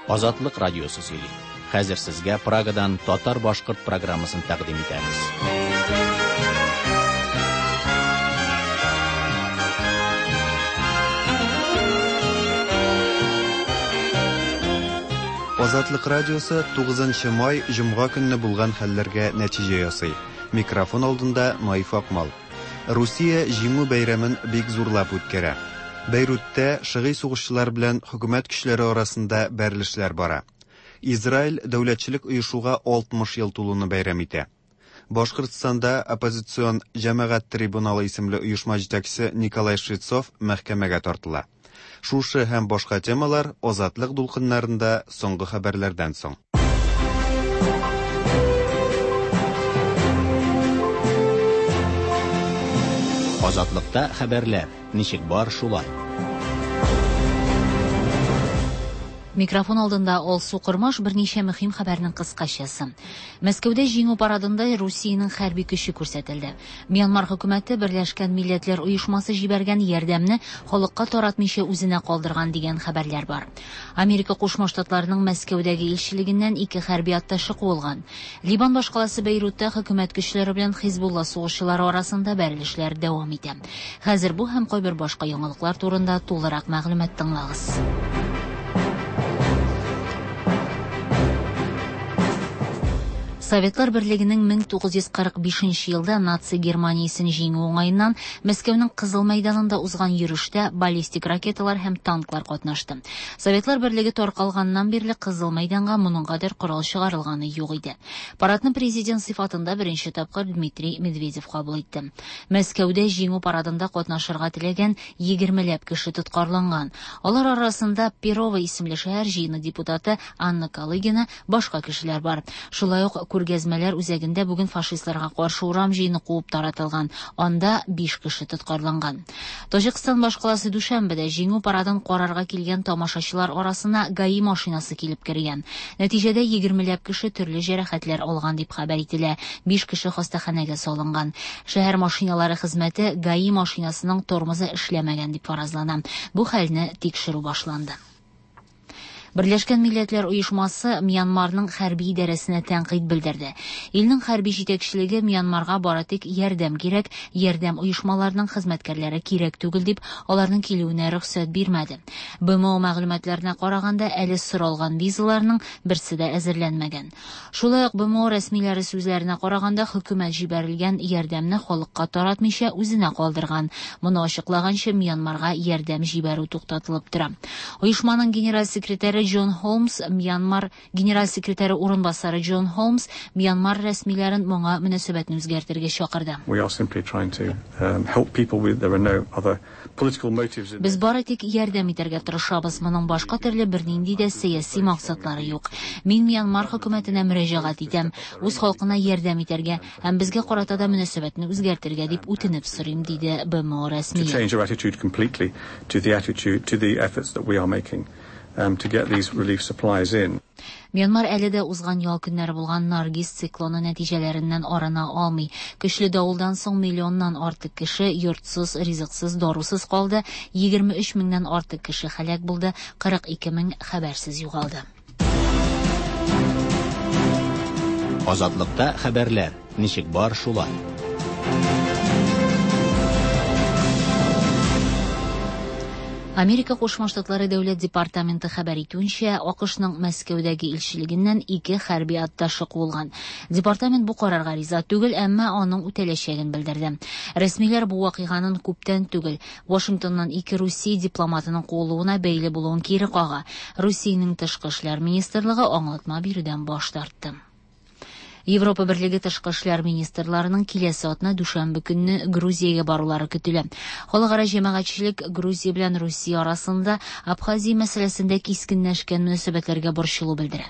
Азатлык радиосы сөйли. Хәзер сезгә Прагадан татар-башкорт программасын тәкъдим итәбез. Азатлык радиосы 9 май җомга көнне булган хәлләргә нәтиҗә ясый. Микрофон алдында Наиф Акмал. Русия Җиңү бәйрәмен бик зурлап үткәрә. Бәйрутта шыгый сугышчылар белән хөкүмәт көчләре арасында бәрелешләр бара. Израиль дәүләтчелек оешуга 60 ел тулуны бәйрәм итә. Башкортстанда оппозицион Җәмәгать трибуналы исемле оешма җитәкчесе Николай Швецов мәхкәмәгә тартыла. Шушы һәм башка темалар Азатлык дулкыннарында соңгы хәбәрләрдән соң. Азатлыкта хәбәрләр ничек бар шулай. Микрофон алдында Алсу Кормаш берничә мөһим хәбәрнең кыскачасы. Мәскәүдә Җиңү парадында Русиянең хәрби көче күрсәтелде. Мьянмар хөкүмәте Берләшкән Милләтләр Оешмасы җибәргән ярдәмне халыкка таратмыйча үзенә калдырган дигән хәбәрләр бар. Америка Кушма Штатларының Мәскәүдәге илчелегеннән ике хәрби атташе куылган. Либан башкаласы Бәйрутта хөкүмәт көчләре белән Хизбулла сугышчылары арасында бәрелешләр дәвам итә. Хәзер бу һәм кайбер башка яңалыклар турында тулырак мәгълүмат тыңлагыз. Советлар Берлегенең 1945 елда наци Германиясен җиңү уңаеннан Мәскәүнең Кызыл мәйданында узган йөрештә баллистик ракеталар һәм танклар катнашты. Советлар Берлеге таркалганнан бирле Кызыл мәйданга моның кадәр корал чыгарылганы юк иде. Парадны президент сыйфатында беренче тапкыр Дмитрий Медведев кабул итте. Мәскәүдә җиңү парадында катнашырга теләгән 20ләп кеше тоткарланган. Алар арасында Перово исемле шәһәр җыены депутаты Анна Калыгина, башка кешеләр бар. Шулай ук күргәзмәләр үзәгендә бүген фашистларга каршы урам җыены куып таратылган. Анда 5 кеше тоткарланган. Таҗикстан башкаласы Дүшәнбедә җиңү парадын карарга килгән тамашачылар арасына ГАИ машинасы килеп кергән. Нәтиҗәдә 20ләп кеше төрле җәрәхәтләр алган дип хәбәр ителә. 5 кеше хастаханәгә салынган. Шәһәр машиналары хезмәте ГАИ машинасының тормозы эшләмәгән дип фаразлана. Бу хәлне тикшерү башланды. Берләшкән Милләтләр Оешмасы Мьянмарның хәрби идарәсенә тәнкыйть белдерде. Илнең хәрби җитәкчелеге Мьянмарга бары тик ярдәм кирәк, ярдәм оешмаларының хезмәткәрләре кирәк түгел дип, аларның килүенә рөхсәт бирмәде. БМО мәгълүматларына караганда, әле соралган визаларның берсе дә әзерләнмәгән. Шулай ук БМО рәсмиләре сүзләренә караганда, хөкүмәт җибәрелгән ярдәмне халыкка таратмыйча үзенә калдырган. Моны ачыклаганчы Мьянмарга ярдәм җибәрү туктатылып тора. Оешманың генераль секретаре Джон Холмс, Мьянмар генераль секретаре урынбасары Джон Холмс Мьянмар рәсмиләрен моңа мөнәсәбәтне үзгәртергә чакырды. We are simply trying to help people with there are no other political motives in Без бары тик ярдәм итәргә тырышабыз. Моның башка төрле бернинди дә сәяси максатлары юк. Мин Мьянмар хөкүмәтенә мөрәҗәгать итәм, үз халкына ярдәм итәргә һәм безгә карата да мөнәсәбәтне үзгәртергә дип үтенеп сорыйм, диде БМО to рәсмие. change our attitude completely to the attitude to the efforts that we are making to get these relief supplies in. Мьянмар әле дә узган ял көннәре булган Наргиз циклоны нәтиҗәләреннән арына алмый. Көчле давылдан соң миллионнан артык кеше йортсыз, ризыксыз, дарусыз калды, 23 меңнән артык кеше һәлак булды, 42 мең хәбәрсез югалды. Азатлыкта хәбәрләр ничек бар шулай. Америка Кушма Штатлары Дәүләт департаменты хәбәр итүенчә, АКШның Мәскәүдәге илчелегеннән ике хәрби атташе куылган. Департамент бу карарга риза түгел, әмма аның үтәләчәген белдерде. Рәсмиләр бу вакыйганың күптән түгел Вашингтоннан ике Русия дипломатының куылуына бәйле булуын кире кага. Русиянең тышкы эшләр министрлыгы аңлатма бирүдән баш тартты. Европа Берлеге тышкы эшләр министрларының киләсе атна дүшәмбе көнне Грузиягә барулары көтелә. Халыкара җәмәгатьчелек Грузия белән Русия арасында Абхазия мәсьәләсендә кискенләшкән мөнәсәбәтләргә борчылу белдерә.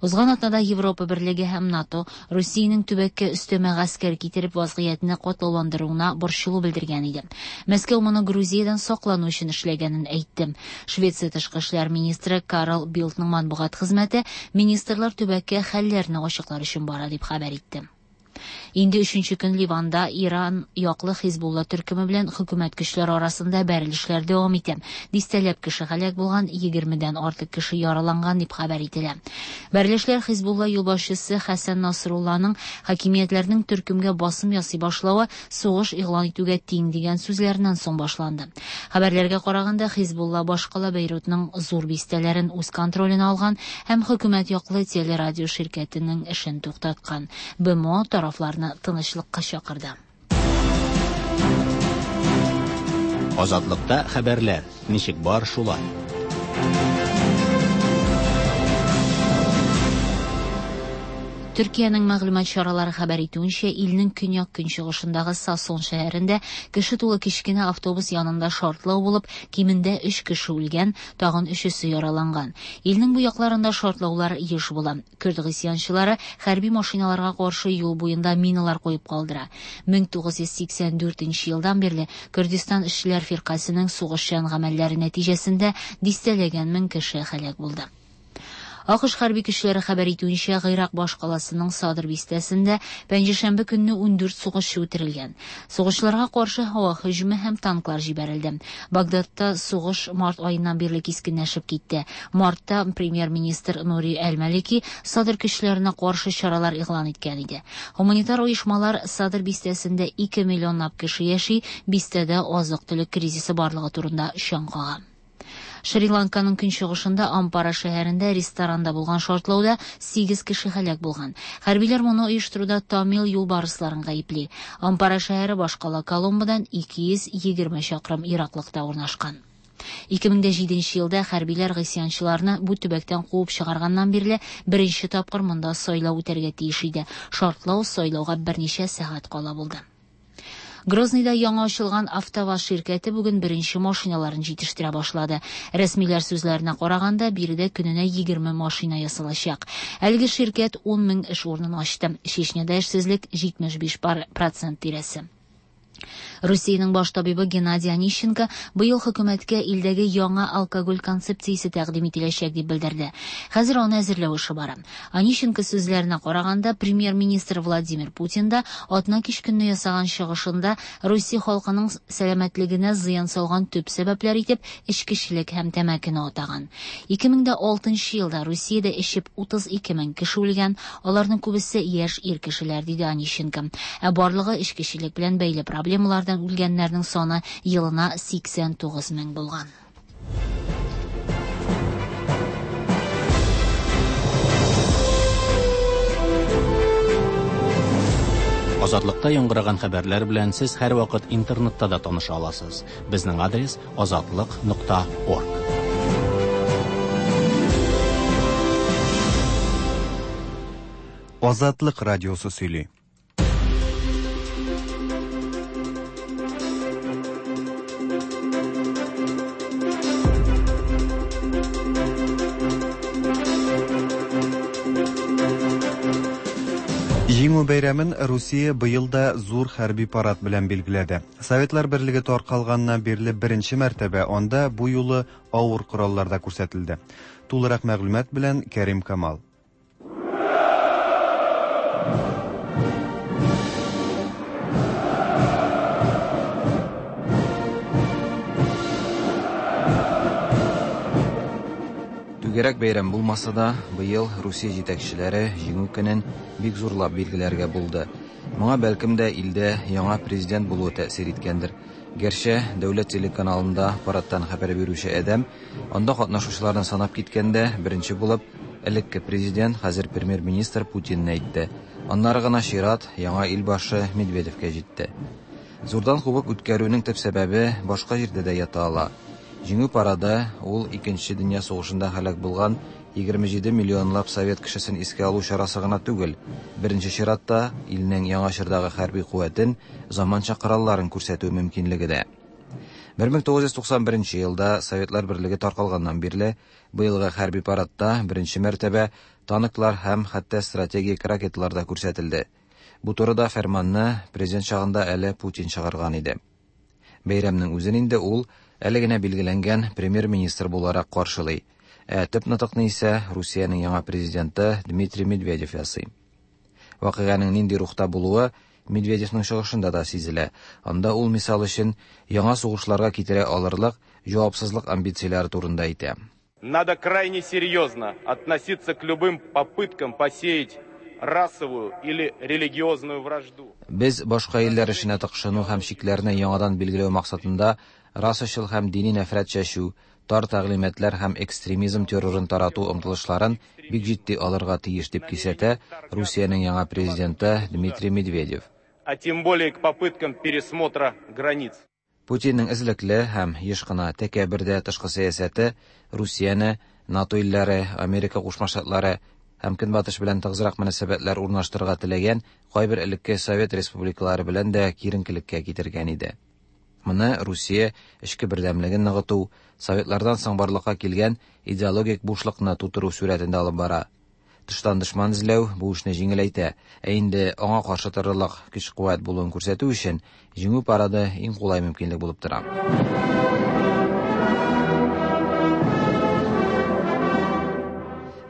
Узган атнада Европа Берлеге һәм НАТО Русиянең төбәккә өстәмә гаскәр китереп вазгыятьне катлауландыруына борчылу белдергән иде. Мәскәү моны Грузиядән саклану өчен эшләгәнен әйтте. Швеция тышкы эшләр министры Карл Билдның матбугат хезмәте министрлар төбәккә хәлләрне ачыклар өчен бара дип хәбәр итте. Инде өченче көн Ливанда Иран яклы Хизбулла төркеме белән хөкүмәт көчләре арасында бәрелешләр дәвам итә. Дистәләп кеше һәлак булган, 20дән артык кеше яраланган дип хәбәр ителә. Бәрелешләр Хизбулла юлбашчысы Хәсән Насрулланың хакимиятләрнең төркемгә басым ясый башлавы сугыш игълан итүгә тиң дигән сүзләреннән соң башланды. Хәбәрләргә караганда, Хизбулла башкала Бейрутның зур бистәләрен үз контроленә алган һәм хөкүмәт яклы телерадио ширкәтенең эшен туктаткан. БМО тарафларны тынычлыкка чакырды. Азатлыкта хәбәрләр ничек бар шулай. Төркиянең мәгълүмат чаралары хәбәр итүенчә, илнең көньяк-көнчыгышындагы Сасон шәһәрендә кеше тулы кечкенә автобус янында шартлау булып, кимендә 3 кеше үлгән, тагын өчесе яраланган. Илнең бу якларында шартлаулар еш була. Көрд гыйсьянчылары хәрби машиналарга каршы юл буенда миналар куеп калдыра. 1984 елдан бирле Күрдистан эшчеләр фиркасының сугышчан гамәлләре нәтиҗәсендә дистәләгән мең кеше һәлак булды. АКШ хәрби көчләре хәбәр итүенчә, Гыйрак башкаласының Садр бистәсендә пәнҗешәмбе көнне 14 сугышчы үтерелгән. Сугышчыларга каршы һава һөҗүме һәм танклар җибәрелде. Багдадта сугыш март аеннан бирле кискенләшеп китте. Мартта премьер-министр Нури Әл-Малики Садр көчләренә каршы чаралар игълан иткән иде. Гуманитар оешмалар Садр бистәсендә 2 миллионлап кеше яши, бистәдә азык-төлек кризисы барлыгы турында чаң кага. Шри-Ланканың көнчыгышында Ампара шәһәрендә ресторанда булган шартлауда 8 кеше һәлак булган. Хәрбиләр моны оештыруда Тамил юлбарысларын гаепли. Ампара шәһәре башкала Коломбодан 220 чакрым ераклыкта урнашкан. 2007 елда хәрбиләр гыйсьянчыларны бу төбәктән куып чыгарганнан бирле беренче тапкыр монда сайлау үтәргә тиеш иде. Шартлау сайлауга берничә сәгать кала булды. Грозныйда яңа ачылган АвтоВАЗ ширкәте бүген беренче машиналарын җитештерә башлады. Рәсмиләр сүзләренә караганда, биредә көненә 20 машина ясалачак. Әлеге ширкәт 10 мең эш урынын ачты. Чечняда эшсезлек 75% тирәсе. Русиянең баш табибы Геннадий Онищенко быел хөкүмәткә илдәге яңа алкоголь концепциясе тәкъдим ителәчәк дип белдерде. Хәзер аны әзерләү эше бара. Онищенко сүзләренә караганда, премьер-министр Владимир Путин да атна кич көнне ясаган чыгышында Русия халкының сәламәтлегенә зыян салган төп сәбәпләр итеп эчкечелек һәм тәмәкене атаган. 2006 елда Русиядә эчеп 32 мең кеше үлгән, аларның күбесе яшь ир кешеләр, диде Онищенко. Ә барлыгы эчкечелек белән бәйле проблемалардан үлгәннәрнең саны елына 89 мең булган. Азатлыкта яңгыраган хәбәрләр белән сез һәрвакыт интернетта да таныша аласыз. Безнең адрес azatliq.org. Азатлык радиосы сөйли. Җиңү бәйрәмен Русия быел да зур хәрби парад белән билгеләде. Советлар Берлеге таркалганнан бирле беренче мәртәбә анда бу юлы авыр кораллар да күрсәтелде. Тулырак мәгълүмат белән Кәрим Камал. Түгәрәк бәйрәм булмаса да, быел Русия җитәкчеләре Җиңү көнен бик зурлап билгеләргә булды. Моңа бәлкем дә илдә яңа президент булуы тәэсир иткәндер. Гәрчә дәүләт телеканалында парадтан хәбәр бирүче адәм анда катнашучыларны санап киткәндә беренче булып элекке президент, хәзер премьер-министр Путинны әйтте. Аннары гына чират яңа илбашы Медведевкә җитте. Зурдан кубып үткәрүнең төп сәбәбе башка җирдә дә ята ала. Җиңү парады ул Икенче дөнья сугышында һәлак булган 27 миллионлап совет кешесен искә алу чарасы гына түгел. Беренче чиратта илнең яңа чордагы хәрби куәтен, заманча коралларын күрсәтү мөмкинлеге дә. 1991 елда Советлар Берлеге таркалганнан бирле быелгы хәрби парадта беренче мәртәбә танклар һәм хәтта стратегик ракеталар да күрсәтелде. Бу турыда фәрманны президент чагында әле Путин чыгарган иде. Бәйрәмнең үзен инде ул әле генә билгеләнгән премьер-министр буларак каршылый. Ә төп нотыкны исә Русиянең яңа президенты Дмитрий Медведев ясый. Вакыйганың нинди рухта булуы Медведевның чыгышында да сизелә. Анда ул, мисал өчен, яңа сугышларга китерә алырлык җавапсызлык амбицияләре турында әйтә. Надо крайне серьезно относиться к любым попыткам посеять расовую или религиозную вражду. Без башка илләр эшенә тыкшыну һәм чикләрне яңадан билгеләү максатында расачыл һәм дини нәфрәт чәчү, тар тәгълиматлар һәм экстремизм террорын тарату омтылышларын бик җитди алырга тиеш, дип кисәтә Русиянең яңа президенты Дмитрий Медведев. А тем более к попыткам пересмотра границ. Путинның эзлекле һәм еш кына тәкәббер дә тышкы сәясәте Русияне НАТО илләре, Америка Кушма Штатлары һәм Көнбатыш белән тыгызрак мөнәсәбәтләр урнаштырырга теләгән кайбер элекке совет республикалары белән дә киеренкелеккә китергән иде. Моны Русия эчке бердәмлеген ныгыту, советлардан соң барлыкка килгән идеологик бушлыкны тутыру сурәтендә алып бара. Тыштан дошман эзләү бу эшне җиңеләйтә, ә инде аңа каршы торырлык көч-куәт булуын күрсәтү өчен Җиңү парады иң кулай мөмкинлек булып тора.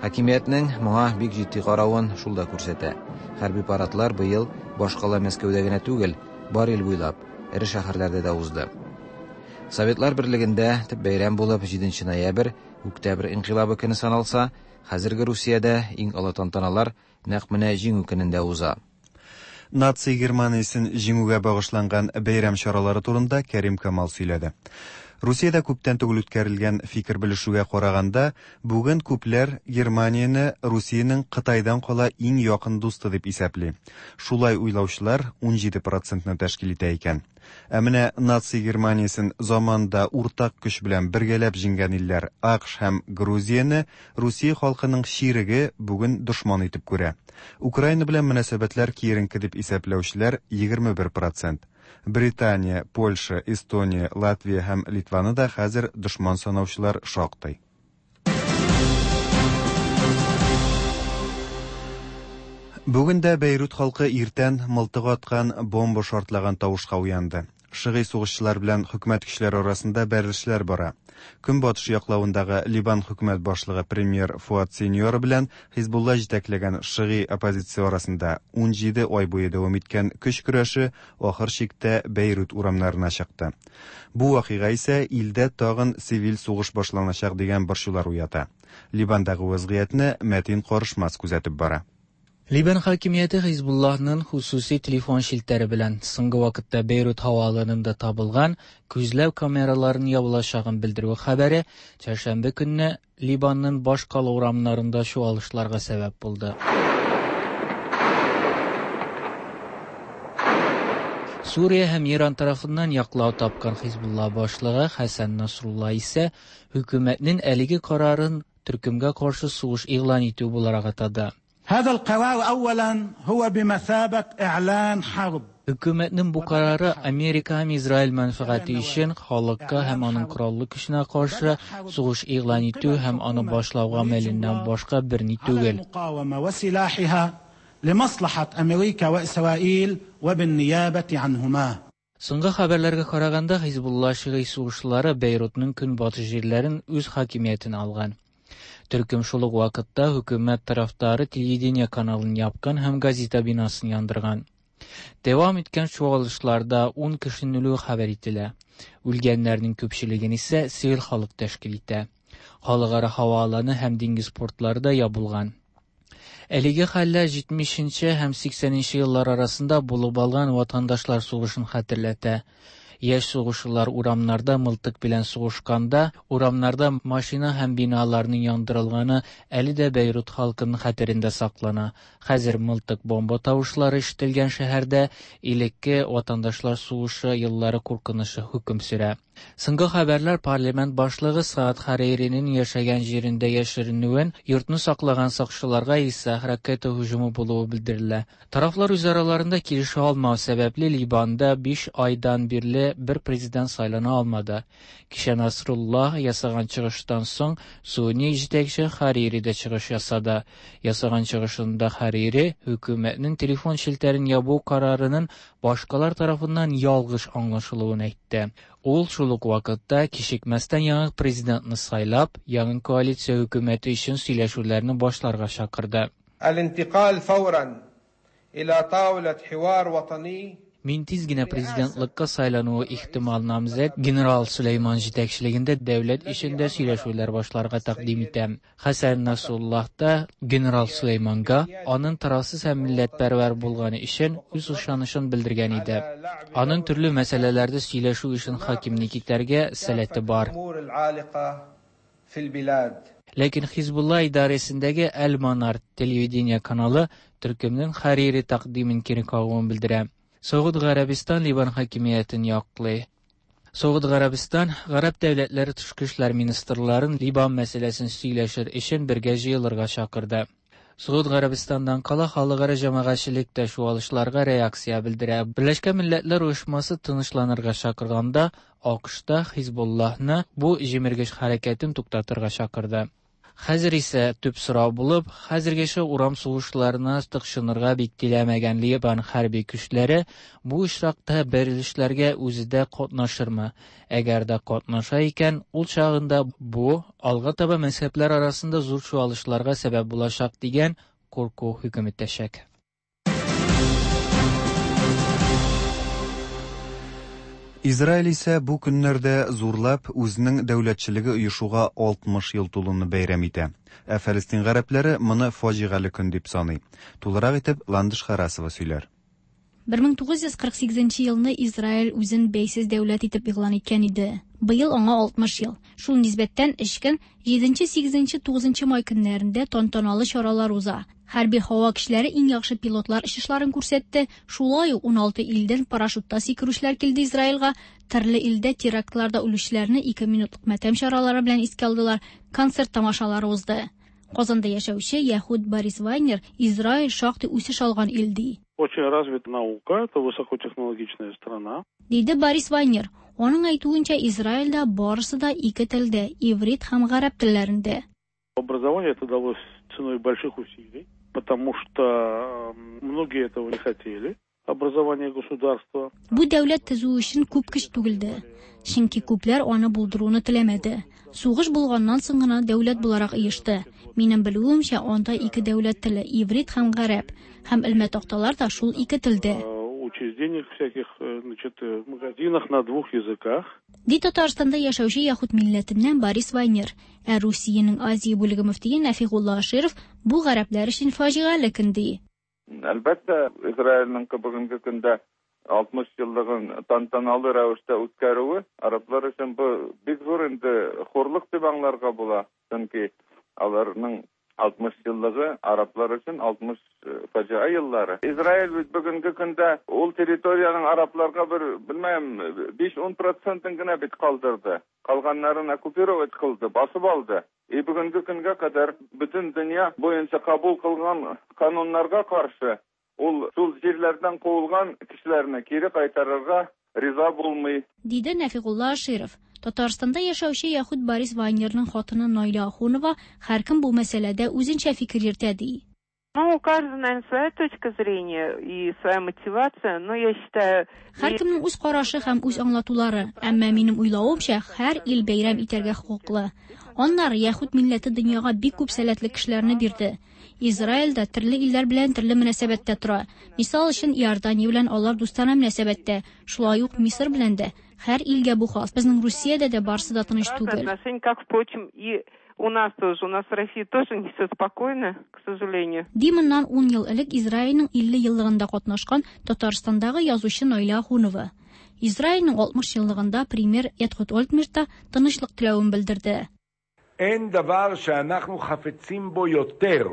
Хакимиятнең моңа бик җитди каравын шул да күрсәтә. Хәрби парадлар быел башкала Мәскәүдә генә түгел, бар ил буйлап, эре шәһәрләрдә дә узды. Советлар берлегендә төп бәйрәм булып 7 ноябрь, Октябрь инкыйлабы көне саналса, хәзерге Русиядә иң олы тантаналар нәкъ менә Җиңү көнендә уза. Наци Германиясен җиңүгә багышланган бәйрәм чаралары турында Кәрим Камал сөйләде. Русиядә күптән түгел үткәрелгән фикер белешүгә караганда, бүген күпләр Германияне Русиянең Кытайдан кала иң якын дусты дип исәпли. Шулай уйлаучылар 17 процентны тәшкил итә икән. Ә менә наци Германиясен заманында уртак көч белән бергәләп җиңгән илләр АКШ һәм Грузияне Русия халкының чиреге бүген дошман итеп күрә. Украина белән мөнәсәбәтләр киеренке дип исәпләүчеләр 21 процент. Британия, Польша, Эстония, Латвия һәм Литваны да хәзер дошман санаучылар шактый. Бүген дә Бәйрут халкы иртән мылтык аткан, бомба шартлаган тавышка уянды. Шыгый сугышчылар белән хөкүмәт көчләре арасында бәрелешләр бара. Көнбатыш яклавындагы Либан хөкүмәт башлыгы премьер Фуад Синьора белән Хизбулла җитәкләгән шыгый оппозиция арасында 17 ай буе дәвам иткән көч көрәше ахыр чиктә Бәйрут урамнарына чыкты. Бу вакыйга исә илдә тагын цивиль сугыш башланачак дигән борчулар уята. Либандагы вазгыятьне Мәтин Карышмас күзәтеп бара. Либан хакимияте Хизбуллаһның хосуси телефон челтәре белән соңгы вакытта Бейрут һавааланында табылган күзләү камераларын ябылачагын белдерүе хәбәре чәршәмбе көнне Либанның башкала урамнарында чуалышларга сәбәп булды. Сүрия һәм Иран тарафыннан яклау тапкан Хизбулла башлыгы Хәсән Насрулла исә хөкүмәтнең әлеге карарын төркемгә каршы сугыш игълан итү буларак атады. هذا القرار أولا هو بمثابة إعلان حرب. Хөкүмәтнең бу карары Америка һәм Израиль мәнфәгате өчен халыкка һәм аның кораллы көченә каршы сугыш игълан итү һәм аны башлау гамәленнән башка берни түгел. لمصلحة أمريكا وإسرائيل وبالنيابة عنهما. Соңгы хәбәрләргә караганда, Хизбулла шигый сугышчылары Бейрутның көнбатыш җирләрен үз хакимиятенә алган. Төркем шул ук вакытта хөкүмәт тарафдары телевидение каналын япкан һәм газета бинасын яндырган. Дәвам иткән чуалышларда 10 кешенең үлүе хәбәр ителә. Үлгәннәрнең күпчелеген исә цивиль халык тәшкил итә. Халыкара һава аланы һәм диңгез портлары да ябылган. Әлеге хәлләр 70 нче һәм 80 нче еллар арасында булып алган ватандашлар сугышын хәтерләтә. Яшь сугышчылар урамнарда мылтык белән сугышканда, урамнарда машина һәм биналарның яндырылганы әле дә Бейрут халкының хәтерендә саклана. Хәзер мылтык бомба тавышлары ишетелгән шәһәрдә элекке ватандашлар сугышы еллары куркынычы хөкем сөрә. Соңгы хәбәрләр парламент башлыгы Саад Хариринең яшәгән җирендә яшеренүен, йортны саклаган сакчыларга исә ракета һөҗүме булуы белдерелә. Тарафлар үз араларында килешә алмау сәбәпле Либанда 5 айдан бирле бер президент сайлана алмады. Кичә Насруллаһ ясаган чыгыштан соң Суни җитәкче Харири дә чыгыш ясады. Ясаган чыгышында Харири хөкүмәтнең телефон челтәрен ябу карарының башкалар тарафыннан ялгыш аңлашылуын әйтте. Ул шул ук вакытта кичекмәстән яңа президентны сайлап, яңа коалиция хөкүмәте өчен сөйләшүләрне башларга чакырды. الانتقال فورا إلى طاولة حوار وطني. Мин тиз генә президентлыкка сайлануы ихтимал намзәт генерал Сөләйман җитәкчелегендә дәүләт эчендә сөйләшүләр башларга тәкъдим итәм. Хәсән Насруллаһ та генерал Сөләйманга аның тарафсыз һәм милләтпәрвәр булганы өчен үз ышанычын белдергән иде. Аның төрле мәсьәләләрдә сөйләшү өчен хакимлек итәргә сәләте бар. Ләкин Хизбулла идарәсендәге Әл-Манар телевидение каналы төркемнең Харири тәкъдимен кире кагуын белдерә. Согуд Гарәбистан Ливан хакимиятен яклый. Согуд Гарәбистан гарәп дәүләтләре тышкы эшләр министрларын Ливан мәсьәләсен сөйләшер өчен бергә җыелырга чакырды. Согуд Гарәбистаннан кала халыкара җәмәгатьчелек тә чуалышларга реакция белдерә. Берләшкән Милләтләр Оешмасы тынычланырга чакырганда, АКШта Хизбуллаһны бу җимергеч хәрәкәтен туктатырга чакырды. Хәзер исә төп сорау булып, хәзергәчә урам сугышларына тыкшынырга бик теләмәгән Ливан хәрби көчләре бу очракта бәрелешләргә үзе дә катнашырмы? Әгәр дә катнаша икән, ул чагында бу алга таба мәзһәбләр арасында зур чуалышларга сәбәп булачак дигән курку хөкем итәчәк. Израиль исә бу көннәрдә зурлап үзенең дәүләтчелеге оешуга 60 ел тулуны бәйрәм итә. Ә Фәлестин гарәпләре моны фаҗигале көн дип саный. Тулырак итеп Ландыш Харасова сөйләр. 1948 елны Израиль үзен бәйсез дәүләт итеп игълан иткән иде. Быел аңа 60 ел. Шул нисбәттән өч көн 7, 8, 9 май көннәрендә тантаналы чаралар уза. Хәрби һава көчләре иң яхшы пилотлар очышларын күрсәтте. Шулай ук 16 илдән парашютта сикерүчеләр килде Израильгә. Төрле илдә терактларда үлүчеләрне 2 минутлык матәм чаралары белән искә алдылар. Концерт тамашалары узды. Казанда яшәүче яһүд Борис Вайнер Израиль шактый үсеш алган ил ди. Очень развита наука, это высокотехнологичная страна. Диде Борис Вайнер. Аның әйтүенчә, Израильдә барысы да ике телдә, иврит һәм гарәп телләрендә. Образование это далось ценой больших усилий, потому что многие этого не хотели. Образование государства. Бу дәүләт төзү өчен күп көч түгелде, чөнки күпләр аны булдыруны теләмәде. Сугыш булганнан соң гына дәүләт буларак оешты. Минем белүемчә, анда ике дәүләт теле, иврит һәм гарәп, һәм элмә такталар да шул ике телдә. Учреждениях всяких, значит, магазинах на двух языках. Ди Татарстанда яшәүче яһүд милләтеннән Борис Вайнер. Ә Русиянең Азия бүлеге мөфтие Нәфигулла Аширов бу гарәпләр өчен фаҗигале көн ди. Әлбәттә, Израильнең бүгенге көндә 60 еллыгын тантаналы рәвештә үткәрүе арабlar өчен бу бик зур инде хурлык дип аңларга була. Чөнки аларның 60 еллыгы арабlar өчен 60 фаҗига еллары. Израиль бит бүгенге көндә ул территориянең арабlarга бер, белмәм, 5-10 процентын гына бит калдырды. Калганнарын оккупировать кылды, басып алды. И бүгенге көнгә кадәр бөтен дөнья буенча кабул кылган кануннарга каршы ул шул җирләрдән куылган кешеләрне кире кайтарырга риза булмый. Диде Нәфигулла Аширов. Татарстанда яшәүче яһүд Борис Вайнерның хатыны Наилә Ахунова һәркем бу мәсьәләдә үзенчә фикер йөртә ди. Ну, у каждого, наверное, своя точка зрения и своя мотивация, но я считаю... Һәркемнең үз карашы һәм үз аңлатулары, әмма минем уйлавымча, һәр ил бәйрәм итәргә хокуклы. Аннары яһүд милләте дөньяга бик күп сәләтле кешеләрне бирде. Израиль дә төрле илләр белән төрле мөнәсәбәттә тора. Мисал өчен, Иордания белән алар дустанә мөнәсәбәттә, шулай ук Мисыр белән дә. Һәр илгә бу хас. Безнең Русиядә дә барысы да тыныч түгел. Отношения, как, впрочем, и у нас тоже. У нас в России тоже не все спокойно, к сожалению. Ди моннан 10 ел элек Израильнең 50 еллыгында катнашкан Татарстандагы язучы Наилә Ахунова. Израильнең 60 еллыгында премьер Эхуд Ольмерт та тынычлык теләвен белдерде. Эн давар шеанахну хафецим бо йотер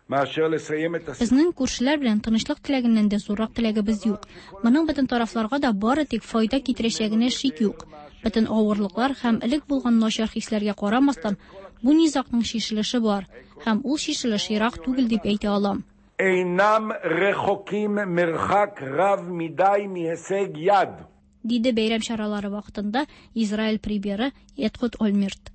מאשר לסיים את Безнең күршеләр белән тынычлык теләгеннән дә зуррак теләгебез юк. Моның бөтен тарафларга да бары тик файда китерәчәгенә шик юк. Бөтен авырлыклар һәм элек булган начар хисләргә карамастан, бу низагның чишелеше бар һәм ул чишелеш ерак түгел дип әйтә алам. אינם רחוקים מרחק רב מדי מהישג יד. Диде бәйрәм чаралары вакытында Израиль премьеры Эхуд Ольмерт.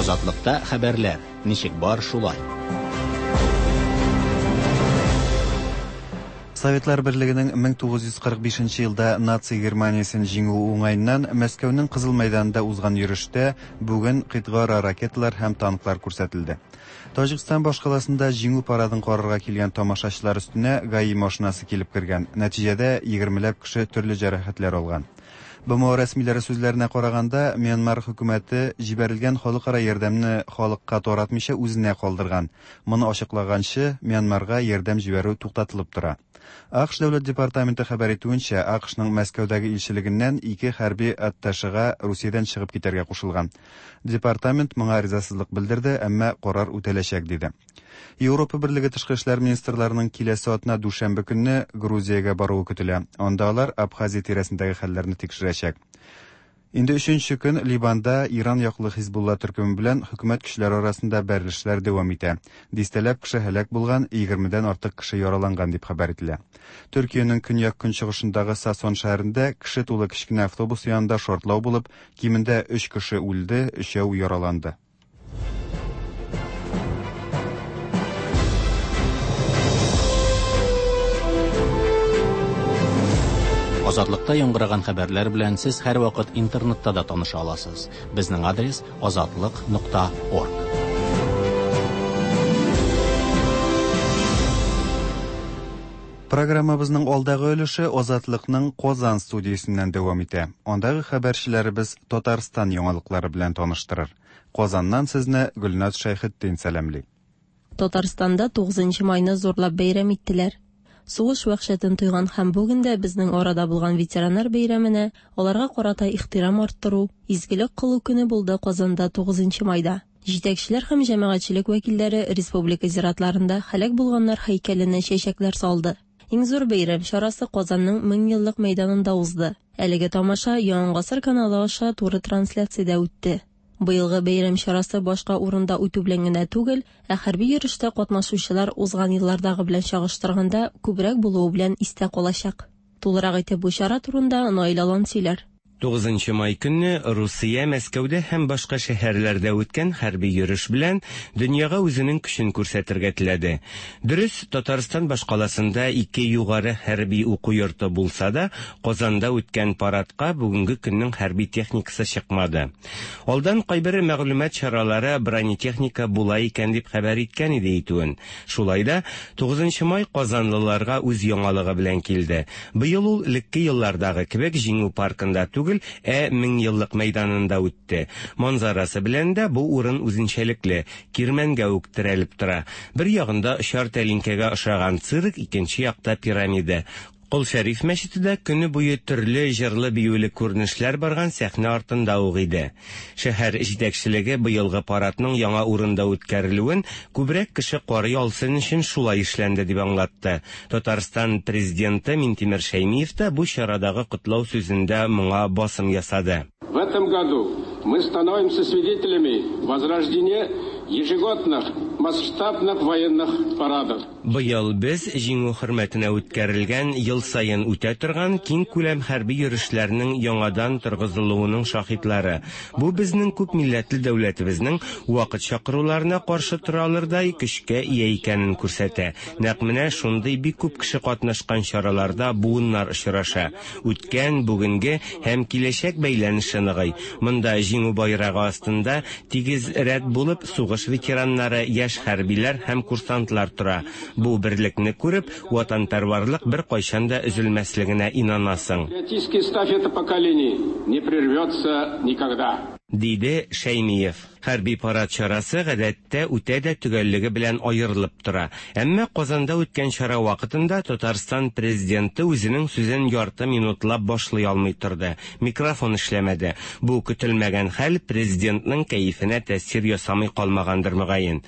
Азатлыкта хәбәрләр ничек бар шулай. Советлар Берлегенең 1945 елда наци Германиясен җиңүе уңаеннан Мәскәүнең Кызыл мәйданында узган йөрештә бүген кыйтгаара ракеталар һәм танклар күрсәтелде. Таҗикстан башкаласында Җиңү парадын карарга килгән тамашачылар өстенә ГАИ машинасы килеп кергән. Нәтиҗәдә, егермеләп кеше төрле җәрәхәтләр алган. БМО рәсмиләре сүзләренә караганда, Мьянмар хөкүмәте җибәрелгән халыкара ярдәмне халыкка таратмыйча үзенә калдырган. Моны ачыклаганчы, Мьянмарга ярдәм җибәрү туктатылып тора. АКШ Дәүләт департаменты хәбәр итүенчә, АКШның Мәскәүдәге илчелегеннән ике хәрби атташега Русиядән чыгып китәргә кушылган. Департамент моңа ризасызлык белдерде, әмма карар үтәләчәк, диде. Европа Берлеге тышкы эшләр министрларының киләсе атна дүшәмбе көнне Грузиягә баруы көтелә. Анда алар Абхазия тирәсендәге хәлләрне тикшерәчәк. Инде өченче көн Ливанда Иран яклы Хизбулла төркеме белән хөкүмәт көчләре арасында бәрелешләр дәвам итә. Дистәләп кеше һәлак булган, егермедән артык кеше яраланган дип хәбәр ителә. Төркиянең көньяк-көнчыгышындагы Сасон шәһәрендә кеше тулы кечкенә автобус янында шартлау булып, кимендә өч кеше үлде, өчәү яраланды. Азатлыкта яңгыраган хәбәрләр белән сез һәрвакыт интернетта да таныша аласыз. Безнең адрес азатлык.орг. Программабызның алдагы өлеше Азатлыкның Казан студиясеннән дәвам итә. Андагы хәбәрчеләребез Татарстан яңалыклары белән таныштырыр. Казаннан сезне Гөлназ Шәйхетдин сәламли. Татарстанда 9 майны зурлап бәйрәм иттеләр. Сугыш вәхшәтен тойган һәм бүген дә безнең арада булган ветераннар бәйрәменә аларга карата ихтирам арттыру, изгелек кылу көне булды Казанда 9 майда. Җитәкчеләр һәм җәмәгатьчелек вәкилләре республика зиратларында һәлак булганнар һәйкәленә чәчәкләр салды. Иң зур бәйрәм чарасы Казанның Меңьеллык мәйданында узды. Әлеге тамаша Яңа гасыр каналы аша туры трансляциядә үтте. Быелгы бәйрәм чарасы башка урында үтү белән генә түгел, ә хәрби йөрештә катнашучылар узган еллардагы белән чагыштырганда күбрәк булуы белән истә калачак. Тулырак итеп бу чара турында Наил Алан сөйләр. 9 май көнне Русия Мәскәүдә һәм башка шәһәрләрдә үткән хәрби йөреш белән дөньяга үзенең көчен күрсәтергә теләде. Дөрес, Татарстан башкаласында ике югары хәрби уку йорты булса да, Казанда үткән парадка бүгенге көннең хәрби техникасы чыкмады. Алдан кайбер мәгълүмат чаралары бронетехника була икән дип хәбәр иткән иде итүен. Шулай да 9 май казанлыларга үз яңалыгы белән килде. Быел ул элекке еллардагы кебек Җиңү паркында түгел, ә Меңьеллык мәйданында үтте. Манзарасы белән дә бу урын үзенчәлекле, кирмәнгә үк терәлеп тора. Бер ягында очар тәлинкәгә ошаган цирк, икенче якта пирамида. Кол Шәриф мәчете дә көне буе төрле җырлы-биюле күренешләр барган сәхнә артында ук иде. Шәһәр җитәкчелеге быелгы парадның яңа урында үткәрелүен күбрәк кеше карый алсын өчен шулай эшләнде дип аңлатты. Татарстан Президенты Минтимер Шәймиев та бу чарадагы котлау сүзендә моңа басым ясады. В этом году мы становимся свидетелями возрождения ежегодных масштабных военных парадов. Быел без Җиңү хөрмәтенә үткәрелгән ел саен үтә торган киңкүләм хәрби йөрешләрнең яңадан торгызылуының шаһитлары. Бу безнең күп милләтле дәүләтебезнең вакыт чакыруларына каршы тора алырдай көчкә ия икәнен күрсәтә. Нәкъ менә шундый бик күп кеше катнашкан чараларда буыннар очраша. Үткән, бүгенге һәм киләчәк бәйләнеше ныгый. Монда Җиңү байрагы астында тигез рәт булып сугыш ветераннары, яшь хәрбиләр һәм курсантлар тора. Бу берлекне күреп, ватанпәрварлык беркайчан да өзелмәслегенә инанасың. Патриотическая эстафета поколений не прервется никогда. Диде Шәймиев. Хәрби парад чарасы гадәттә үтә дә төгәллеге белән аерылып тора. Әмма Казанда үткән чара вакытында Татарстан Президенты үзенең сүзен ярты минутлап башлый алмый торды. Микрофон эшләмәде. Бу көтелмәгән хәл Президентның кәефенә тәэсир ясамый калмагандыр мөгаен.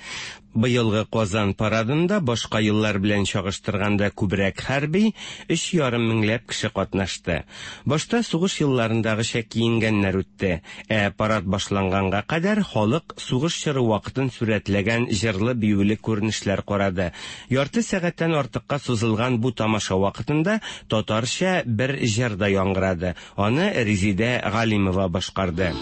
Быелгы Казан парадында башка еллар белән чагыштырганда күбрәк хәрби, өч ярым меңләп кеше катнашты. Башта сугыш елларындагыча киенгәннәр үтте. Ә парад башланганга кадәр халык сугыш чоры вакытын сурәтләгән җырлы-биюле күренешләр карады. Ярты сәгатьтән артыкка сузылган бу тамаша вакытында татарча бер җыр да яңгырады. Аны Резидә Галимова башкарды.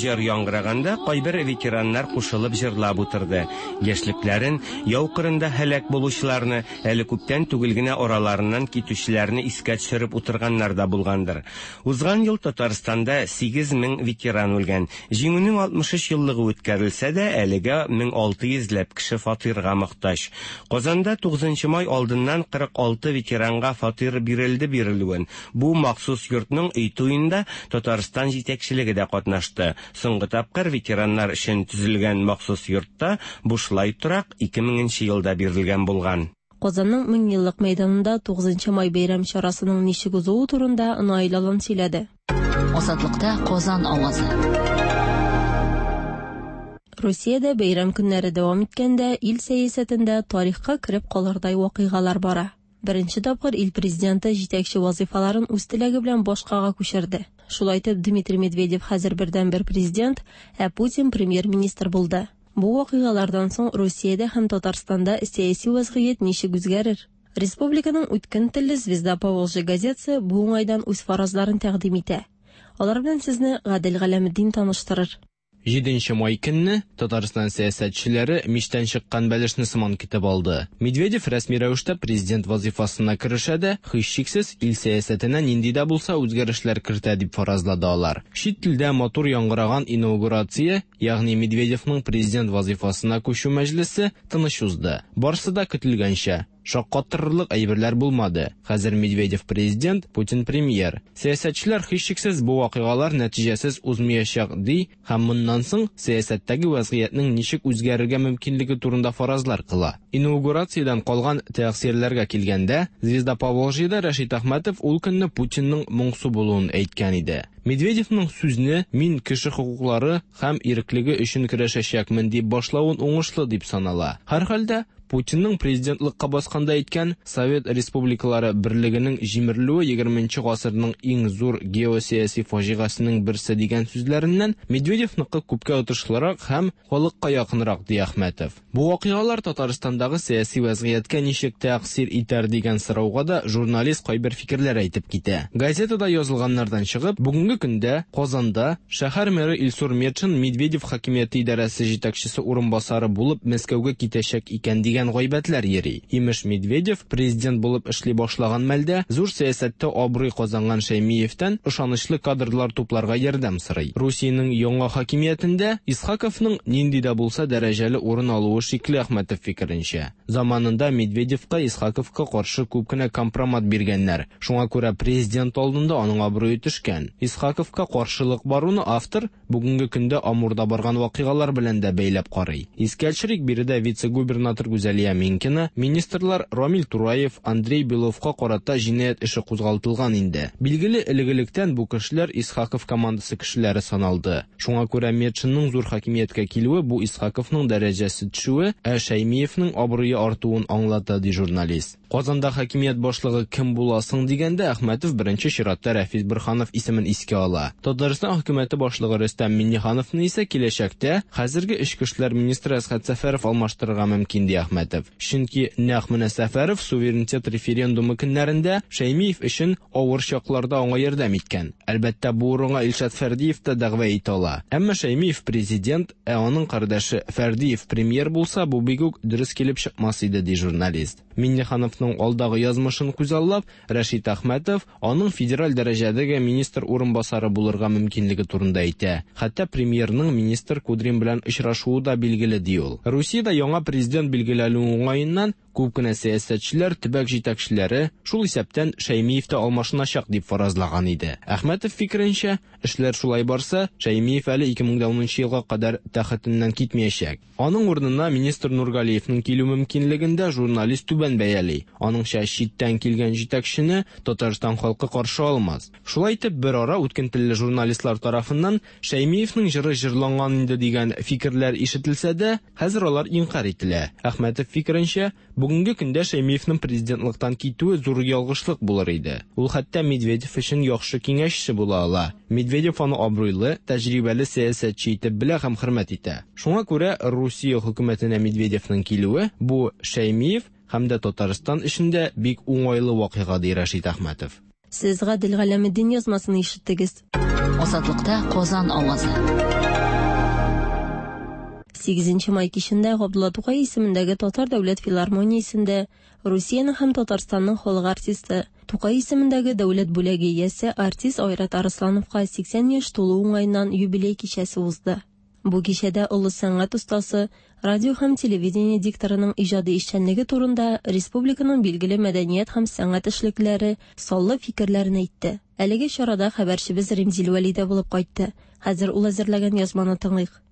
Җыр яңгыраганда кайбер ветераннар кушылып җырлап утырды. Яшьлекләрен, яу кырында һәлак булучыларны, әле күптән түгел генә араларыннан китүчеләрне искә төшереп утырганнар да булгандыр. Узган ел Татарстанда 8000 ветеран үлгән. Җиңүнең 63 еллыгы үткәрелсә дә, әлегә 1600 ләп кеше фатирга мохтаҗ. Казанда 9 май алдыннан 46 ветеранга фатир бирелде бирелүен. Бу махсус йортның өй туенда Татарстан җитәкчелеге дә катнашты. Соңгы тапкыр ветераннар өчен төзелгән махсус йортта бушлай торак 2000 нче елда бирелгән булган. Казанның Меңьеллык мәйданында 9 май бәйрәм чарасының ничек узуы турында Наил Алан сөйләде. Азатлыкта Казан авазы. Русиядә бәйрәм көннәре дәвам иткәндә, ил сәясәтендә тарихка кереп калырдай вакыйгалар бара. Беренче тапкыр ил президенты җитәкче вазыйфаларын үз теләге белән башкага күчерде. Шулай итеп, Дмитрий Медведев хәзер бердәнбер президент, ә Путин премьер-министр булды. Бу вакыйгалардан соң Русиядә һәм Татарстанда сәяси вәзгыять ничек үзгәрер? Республиканың үткен телле Звезда Поволжья газетасы бу уңайдан үз фаразларын тәкъдим итә. Алар белән сезне Гадел Галәметдин таныштырыр. Җиденче май көнне Татарстан сәясәтчеләре мичтән чыккан бәлешне сыман көтеп алды. Медведев рәсми рәвештә президент вазыйфасына керешә дә, һичшиксез, ил сәясәтенә нинди дә булса үзгәрешләр кертә дип фаразлады алар. Чит телдә матур яңгыраган инаугурация, ягъни Медведевның президент вазыйфасына күчү мәҗлесе тыныч узды. Барсы да көтелгәнчә. Шаккатырырлык әйберләр булмады. Хәзер Медведев президент, Путин премьер. Сәясәтчеләр һичшиксез бу вакыйгалар нәтиҗәсез узмыячак ди һәм моннан соң сәясәттәге вәзгыятьнең ничек үзгәрергә мөмкинлеге турында фаразлар кыла. Инаугурациядән калган тәэсирләргә килгәндә, Звезда Поволжьеда Рәшит Әхмәтов ул көнне Путинның моңсу булуын әйткән иде. Медведевның сүзне мин кеше хокуклары һәм иреклеге өчен көрәшәчәкмен дип башлавын уңышлы дип санала. Һәрхәлдә, Путинның президентлыкка басканда әйткән Совет республикалары берлегенең җимерелүе егерменче гасырның иң зур геосәяси фаҗигасенең берсе дигән сүзләреннән Медведевныкы күпкә отышлырак һәм халыкка якынрак, ди Әхмәтов. Бу вакыйгалар Татарстандагы сәяси вәзгыятькә ничек тәэсир итәр дигән сорауга да журналист кайбер фикерләр әйтеп китә. Газетада язылганнардан чыгып, бүгенге көндә Казанда шәһәр мэры Илсур Метшин Медведев хакимияте идарәсе җитәкчесе урынбасары булып Мәскәүгә китәчәк икән дигән гайбәтләр йөри. Имеш, Медведев президент булып эшли башлаган мәлдә зур сәясәттә абруй казанган Шәймиевтән ышанычлы кадрлар тупларга ярдәм сорый. Русиянең яңа хакимиятендә Исхаковның нинди дә булса дәрәҗәле урын алуы шикле Әхмәтов фикеренчә. Заманында Медведевка Исхаковка каршы күп кенә компромат биргәннәр. Шуңа күрә президент алдында аның абруе төшкән. Исхаковка каршылык баруны автор бүгенге көндә Амурда барган вакыйгалар белән дә бәйләп карый. Искә төшерик, биредә вице-губернатор Гүзәлия Минкина, министрлар Рамил Тураев, Андрей Беловка карата җинаять эше кузгалтылган инде. Билгеле, элек-электән бу кешеләр Исхаков командасы кешеләре саналды. Шуңа күрә Метшинның зур хакимияткә килүе бу Исхаковның дәрәҗәсе төшүе, ә Шәймиевнең абруе артуын аңлата, ди журналист. Казанда хакимият башлыгы кем була соң дигәндә, Әхмәтов беренче чиратта Рәфис Борһанов исемен искә ала. Татарстан хөкүмәте башлыгы Рөстәм Миңнехановны исә киләчәктә хәзерге эчке эшләр министры Әсхәт Сәфәров алмаштырырга мөмкин, ди Әхмәтов. Чөнки нәкъ менә Сәфәров суверенитет референдумы көннәрендә Шәймиев өчен авыр чакларда аңа ярдәм иткән. Әлбәттә, бу урынга Илшат Фәрдиев та дәгъва итә ала. Әмма Шәймиев президент, ә аның кардәше Фәрдиев премьер булса, бу бик үк дөрес килеп чыкмас иде, ди журналист. Миңнехановның алдагы язмышын күзаллап, Рәшит Әхмәтов аның федераль дәрәҗәдәге министр урынбасары булырга мөмкинлеге турында әйтә. Хәтта премьерның министр Кудрин белән очрашуы да билгеле, ди ул. Русиядә яңа президент билгеләнү уңаеннан күп кенә сәясәтчеләр, төбәк җитәкчеләре, шул исәптән Шәймиев тә алмашыначак дип фаразлаган иде. Әхмәтов фикеренчә, эшләр шулай барса, Шәймиев әле 2010 елга кадәр тәхетеннән китмәячәк. Аның урынына министр Нургалиевның килү мөмкинлеген дә журналист түбән бәяли. Аныңча, читтән килгән җитәкчене Татарстан халкы каршы алмас. Шулай итеп, бер ара үткен телле журналистлар тарафыннан Шәймиевның җыры җырланган инде дигән фикерләр ишетелсә дә, хәзер алар инкарь ителә. Әхмәтов фикеренчә, бүгенге көндә Шәймиевның президентлыктан китүе зур ялгышлык булыр иде. Ул хәтта Медведев өчен яхшы киңәшче була ала. Медведев аны абруйлы, тәҗрибәле сәясәтче итеп белә һәм хөрмәт итә. Шуңа күрә Русия хөкүмәтенә Медведевның килүе бу Шәймиев һәм дә Татарстан өчен дә бик уңайлы вакыйга, ди Рәшит Әхмәтов. Сез Гадел Галәметдин язмасын ишеттегез. Азатлыкта Казан авазы. 8 май кичендә Габдулла Тукай исемендәге Татар дәүләт филармониясендә Русиянең һәм Татарстанның халык артисты, Тукай исемендәге дәүләт бүләге иясе артист Айрат Арыслановка 80 яшь тулу уңаеннан юбилей кичәсе узды. Бу кичәдә олы сәнгать остасы, радио һәм телевидение дикторының иҗади эшчәнлеге турында республиканың билгеле мәдәният һәм сәнгать эшлеклеләре саллы фикерләрен әйтте. Әлеге чарада хәбәрчебез Римзил Вәли дә булып кайтты. Хәзер ул әзерләгән язманы тыңлыйк.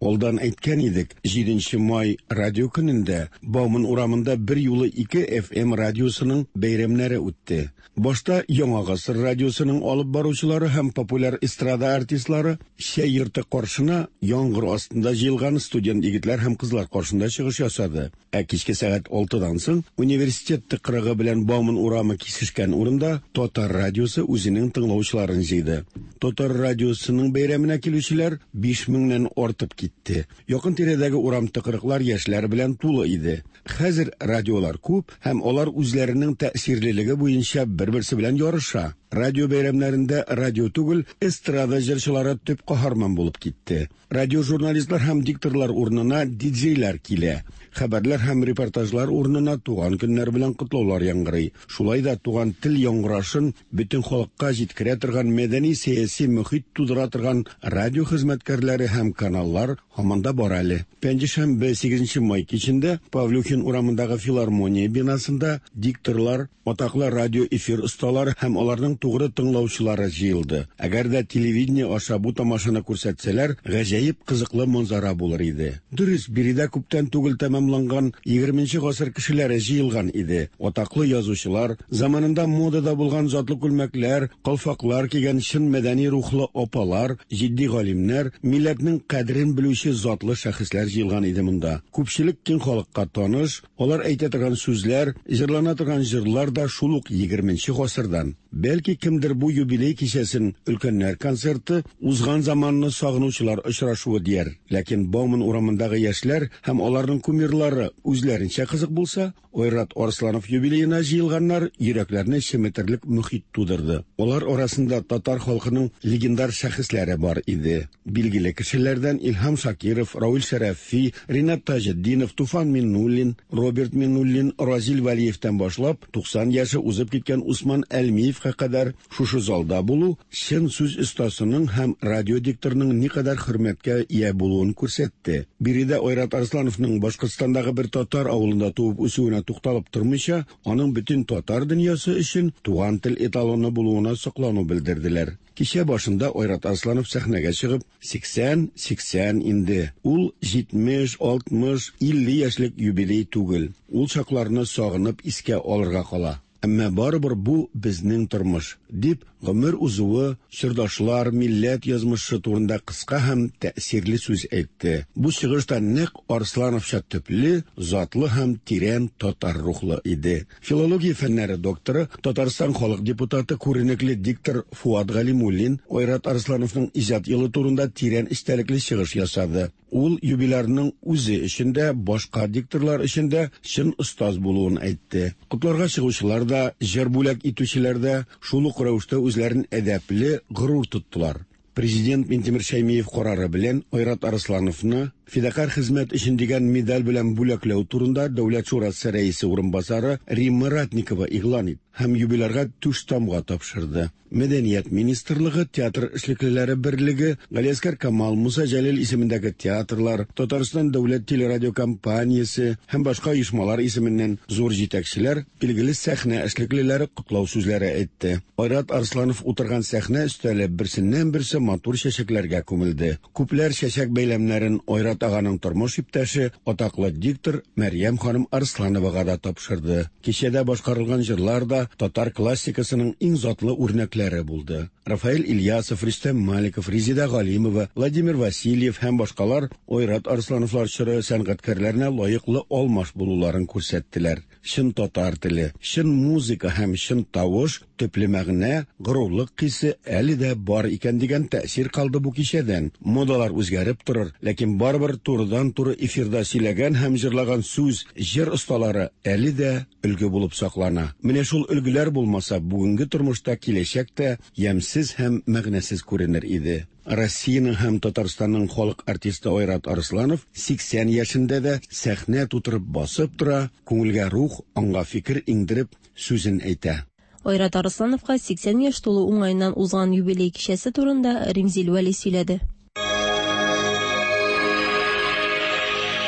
Алдан әйткән идек, 7 май радио көнендә Бауман урамында бер юлы ике FM радиосының бәйрәмнәре үтте. Башта Яңа гасыр радиосының алып баручылары һәм популяр эстрада артистлары чәй йорты каршына яңгыр астында җыелган студент егетләр һәм кызлар каршында чыгыш ясады. Ә кичке сәгать 6-дан соң университет тыкрыгы белән Бауман урамы кисешкән урында Татар радиосы үзенең тыңлаучыларын җыйды. Татар радиосының бәйрәменә килүчеләр 5000-нән артып китте. Якын тирәдәге урам тыкрыклар яшьләр белән тулы иде. Хәзер радиолар күп һәм алар үзләренең тәэсирлелеге буенча бер-берсе белән ярыша. Радио бәйрәмнәрендә радио түгел, эстрада җырчылары төп каһарман булып китте. Радиожурналистлар һәм дикторлар урынына диджейлар килә. Хәбәрләр һәм репортажлар урынына туган көннәр белән котлаулар яңгырый. Шулай да туган тел яңгырашын бөтен халыкка җиткерә торган мәдәни-сәяси мөхит тудыра торган радио хезмәткәрләре һәм каналлар һаман да бар әле. Пәнҗешәмбе 8 май кичендә Павлюхин урамындагы филармония бинасында дикторлар, атаклы радио эфир осталары һәм аларның тугры тыңлаучылары җыелды. Әгәр дә телевидение аша бу тамашаны күрсәтсәләр, гаҗәеп кызыклы манзара булыр иде. Дөрес, биредә күптән түгел тәмамланган 20 гасыр кешеләре җыелган иде. Атаклы язучылар, заманында модада булган затлы күлмәкләр, калфаклар кигән чын мәдәни рухлы апалар, җитди галимнәр, милләтнең кадерен белүче затлы шәхесләр җыелган иде монда. Күпчелек киң халыкка таныш, алар әйтә торган сүзләр, җырлана торган җырлар да шул ук 20 гасырдан. Бәлки кемдер бу юбилей кичәсен өлкәннәр концерты, узган заманны сагынучылар очрашуы дияр. Ләкин Бауман урамындагы яшьләр һәм аларның кумирлары үзләренчә кызык булса, Айрат Арсланов юбилеена җыелганнар йөрәкләрне чеметерлек мөхит тудырды. Алар арасында татар халкының легендар шәхесләре бар иде. Билгеле кешеләрдән Илһам Шакиров, Равил Шәрәфи, Ринат Таҗетдинов, Туфан Миннуллин, Роберт Миннуллин, Разил Вәлиевтән башлап 90 яше узып киткән Усман Әлмиевка кадәр шушы залда булу чын сүз остасының һәм радио дикторының никадәр хөрмәткә ия булуын күрсәтте. Биредә Айрат Арслановның Башкортстандагы бер татар авылында туып үсүенә тукталып тормыйча, аның бөтен татар дөньясы өчен туган тел эталоны булуына соклану белдерделәр. Кичә башында Айрат Арсланов сәхнәгә чыгып, 80, 80 инде. Ул 70, 60, 50 яшьлек юбилей түгел. Ул чакларны сагынып искә алырга кала. Әмма барыбер бу безнең тормыш, дип гомер узуы, чордашлар, милләт язмышы турында кыска һәм тәэсирле сүз әйтте. Бу чыгыш та нәкъ Арслановча төпле, затлы һәм тирән татар рухлы иде. Филология фәннәре докторы, Татарстан халык депутаты, күренекле диктор Фуат Галимуллин Айрат Арслановның иҗат юлы турында тирән эчтәлекле чыгыш ясады. Ул юбилярның үзе өчен дә, башка дикторлар өчен дә чын остаз булуын әйтте. Котларга чыгучылар да, җыр бүләк итүчеләр дә шул ук рәвештә үзләрен әдәпле, горур тоттылар. Президент Минтимер Шәймиев карары белән Айрат Арслановны фидакарь хезмәт өчен дигән медаль белән бүләкләү турында Дәүләт шурасы рәисе урынбасары Римма Ратникова игълан итте һәм юбилярга түш тамга тапшырды. Мәдәният министрлыгы, театр эшлеклеләре берлеге, Галиәсгар Камал, Муса Җәлил исемендәге театрлар, Татарстан дәүләт телерадиокомпаниясе һәм башка оешмалар исеменнән зур җитәкчеләр, билгеле сәхнә эшлеклеләре котлау сүзләре әйтте. Айрат Арсланов утырган сәхнә өстәле берсеннән-берсе матур чәчәкләргә күмелде. Күпләр чәчәк бәйләмнәрен Айрат аганың тормыш иптәше, атаклы диктор Мәрьям ханым Арслановага да тапшырды. Кичәдә башкарылган җырлар да татар классикасының иң затлы үрнәкләре булды. Рафаэль Ильясов, Рөстәм Маликов, Резеда Галимова, Владимир Васильев һәм башкалар Айрат Арслановлар чоры сәнгатькәрләренә лаеклы алмаш булуларын күрсәттеләр. Чын татар теле, чын музыка һәм чын тавыш, төпле мәгънә, горурлык хисе әле дә бар икән дигән тәэсир калды бу кичәдән. Модалар үзгәреп торыр, ләкин барыбер турыдан-туры эфирда сөйләгән һәм җырлаган сүз, җыр осталары әле дә өлге булып саклана. Менә шул өлгеләр булмаса, бүгенге тормышта киләчәк тә ямьсез һәм мәгънәсез күренер иде. Россиянең һәм Татарстанның халык артисты Айрат Арсланов 80 яшендә дә сәхнә тутырып басып тора, күңелгә рух, аңга фикер иңдереп, сүзен әйтә. Айрат Арслановка 80 яшь тулу уңаеннан узган юбилей кичәсе турында Римзил Вәли сөйләде.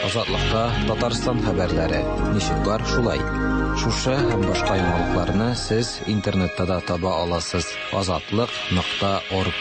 Азатлыкта Татарстан хәбәрләре. Ничек бар, шулай. Шушы һәм башка яңалыкларны сез интернетта да таба аласыз. Азатлык.орг.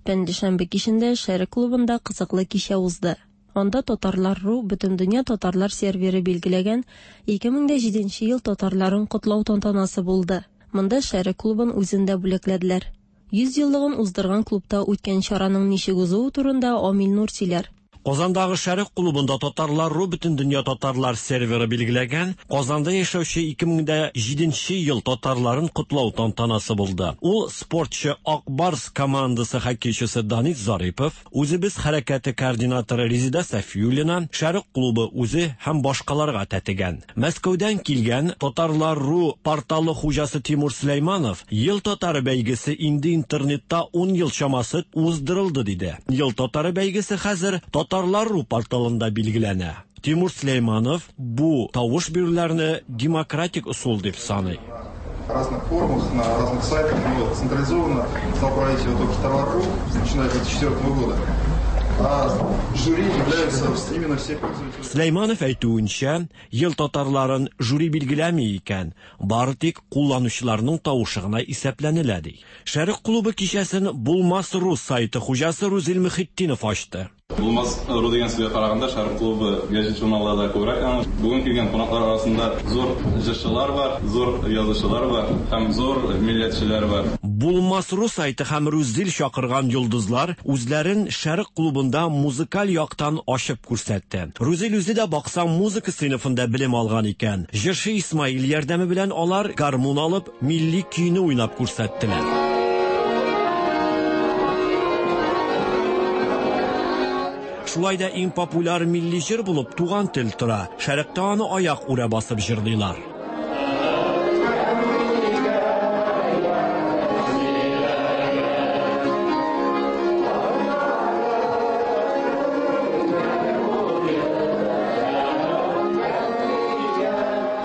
Пәнҗешәмбе кичендә Шәрык клубында кызыклы кичә узды. Анда Татарлар.ру Бөтендөнья татарлар серверы билгеләгән 2007 ел татарларын котлау тантанасы булды. Монда Шәрык клубын үзен дә бүләкләделәр. 100 еллыгын уздырган клубта үткән чараның ничек узуы турында Амил Нур сөйләр. Казандагы Шәрык клубында Татарлар.ру Бөтендөнья татарлар серверы билгеләгән Казанда яшәүче 2007 ел татарларын котлау тантанасы булды. Ул спортчы Ак Барс командасы хоккейчысы Данис Зарипов, Үзебез хәрәкәте координаторы Резеда Сафиуллина, Шәрык клубы үзе һәм башкаларга тәтегән. Мәскәүдән килгән Татарлар.ру порталы хуҗасы Тимур Сөләйманов Ел татары бәйгесе инде интернетта ун ел чамасы уздырылды диде. Ел татары бәйгесе хәзер Татарлар.ру порталында билгеләнә. Тимур Сөләйманов бу тавыш бирүләрне демократик ысул дип саный. разных форумах, на разных сайтах, но централизованно стал проводить его только Татарлар.ру, начиная с 2004 года. А жюри являются именно все пользователи. Сөләйманов әйтүенчә, ел татарларын жюри билгеләми икән, бары тик кулланучыларның тавышы гына исәпләнелә ди. Шәрык клубы кичәсен Булмас.ру сайты хуҗасы Рузил Мөхетдинов ачты. Булмас ру дигән сүзгә караганда, Шәрык клубы гәҗит-журналларда күбрәк таныш. Бүген килгән кунаклар арасында зур җырчылар бар, зур язучылар бар һәм зур милләтчеләр бар. Булмас ру сайты һәм Рузил чакырган йолдызлар үзләрен Шәрык клубында музыкаль яктан ачып күрсәтте. Рузил үзе дә баксаң музыка сыйныфында белем алган икән. Җырчы Исмаил ярдәме белән алар гармун алып, милли көйне уйнап күрсәттеләр. Шулай да иң популяр милли җыр булып Туган тел тора. Шәрыкта аны аяк үрә басып җырлыйлар.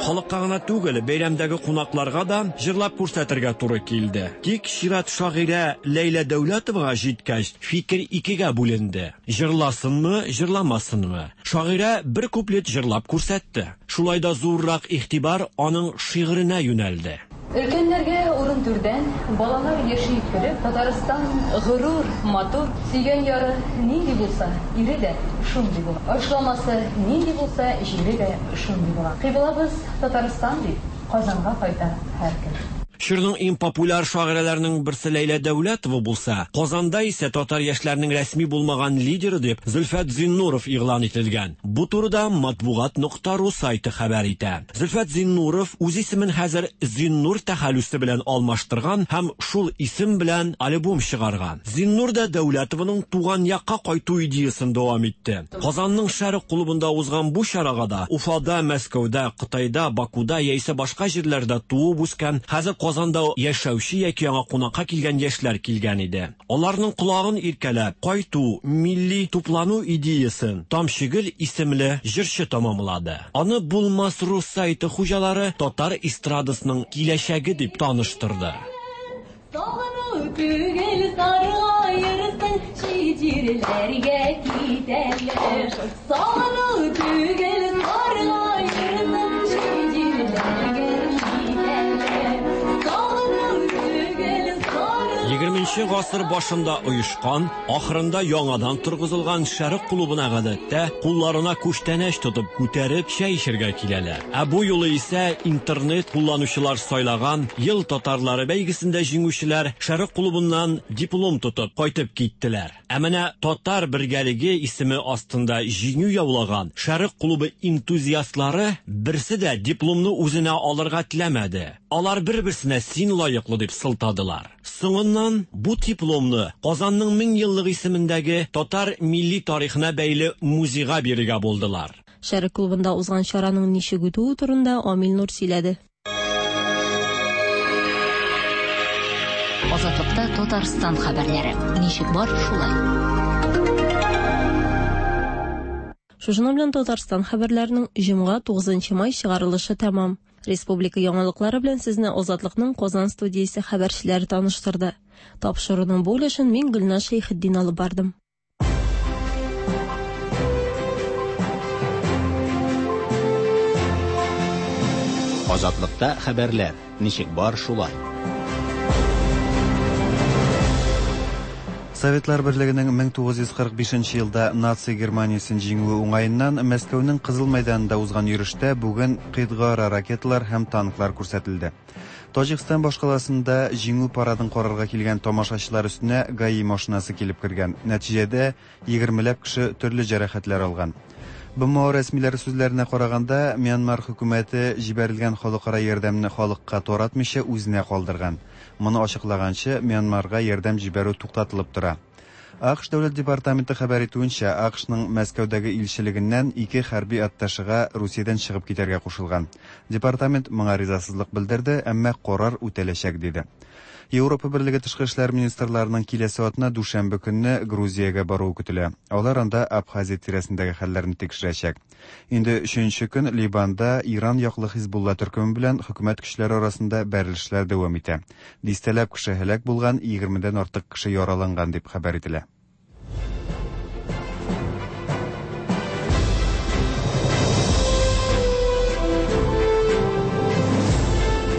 Халыкка гына түгел, бәйрәмдәге кунакларга да җырлап күрсәтергә туры килде. Тик чират шагыйрә Ләйлә Дәүләтовага җиткәч, фикер икегә бүленде. Җырласынмы, җырламасынмы? Шагыйрә бер куплет җырлап күрсәтте. Шулай да зуррак игътибар аның шигыренә юнәлде. Өлкәннәргә урын түрдән, балалар яши көлеп, Татарстан горур, матур, сөйгән яры нинди булса, ире дә шундый була. Ашламасы нинди булса, җире дә шундый була. Кыйблабыз Татарстан дип, Казанга кайта һәркем. Чорның иң популяр шагыйрәләренең берсе Ләйлә Дәүләтова булса, Казанда исә татар яшьләренең рәсми булмаган лидеры дип Зөлфәт Зиннуров игълан ителгән. Бу турыда Матбугат нокта ру сайты хәбәр итә. Зөлфәт Зиннуров үз исемен хәзер Зиннур тәхәллүсе белән алмаштырган һәм шул исем белән альбом чыгарган. Зиннур да Дәүләтованың туган якка кайту идеясен дәвам итте. Казанның Шәрык клубында узган бу чарага да Уфада, Мәскәүдә, Кытайда, Бакуда яисә башка җирләрдә туып үскән, хәзер Казанда яшәүче яки аңа кунакка килгән яшьләр килгән иде. Аларның колагын иркәләп, кайту, милли туплану идеясен Тамчыгөл исемле җырчы тәмамлады. Аны Булмас рус сайты хуҗалары татар эстрадасының киләчәге дип таныштырды. Сагыну түгел саргаерсың, чит җирләргә китәләр. Сагыну түгел саргаерсың, чит җирләргә китәләр. Сагыну түгел саргаерсың. Егерменче гасыр башында оешкан, ахырында яңадан торгызылган Шәрык клубына гадәттә кулларына күчтәнәч тотып күтәреп чәй эчәргә киләләр. Ә бу юлы исә интернет кулланучылар сайлаган Ел татарлары бәйгесендә җиңүчеләр Шәрык клубыннан диплом тотып кайтып киттеләр. Ә менә Татар бергәлеге исеме астында җиңү яулаган Шәрык клубы энтузиастлары берсе дә дипломны үзенә алырга теләмәде. Алар бер-берсенә син лаеклы дип сылтадылар. Соңыннан бу дипломны Казанның 1000 еллык исемендәге татар милли тарихына бәйле музейга бирергә булдылар. Шәрык клубында узган чараның ничек үтүе турында Амил Нур сөйләде. Азатлыкта Татарстан хәбәрләре. Ничек бар, шулай. Шушының белән Татарстан хәбәрләренең җомга 9 май чыгарылышы тәмам. Республика яңалыклары белән сезне Азатлыкның Казан студиясе хәбәрчеләре таныштырды. Тапшыруның бу өлешен мин Гөлназ Шәйхетдин алып бардым. Азатлыкта хәбәрләр. Ничек бар, шулай. Советлар Берлегенең 1945 елда наци Германиясен җиңүе уңаеннан Мәскәүнең Кызыл мәйданында узган йөрештә бүген кыйтгаара ракеталар һәм танклар күрсәтелде. Таҗикстан башкаласында җиңү парадын карарга килгән тамашачылар өстенә ГАИ машинасы килеп кергән. Нәтиҗәдә егермеләп кеше төрле җәрәхәтләр алган. БМО рәсмиләре сүзләренә караганда, Мьянмар хөкүмәте җибәрелгән халыкара ярдәмне халыкка таратмыйча үзенә калдырган. Моны ачыклаганчы, Мьянмарга ярдәм җибәрү туктатылып тора. АКШ Дәүләт департаменты хәбәр итүенчә, АКШның Мәскәүдәге илчелегеннән ике хәрби атташега Русиядән чыгып китәргә кушылган. Департамент моңа ризасызлык белдерде, әмма карар үтәләчәк диде. Европа Берлеге тышкы эшләр министрларының киләсе атна дүшәмбе көнне Грузиягә баруы көтелә. Алар анда Абхазия тирәсендәге хәлләрне тикшерәчәк. Инде өченче көн Ливанда Иран яклы Хизбулла төркеме белән хөкүмәт көчләре арасында бәрелешләр дәвам итә. Дистәләп кеше һәлак булган, егермедән артык кеше яраланган дип хәбәр ителә.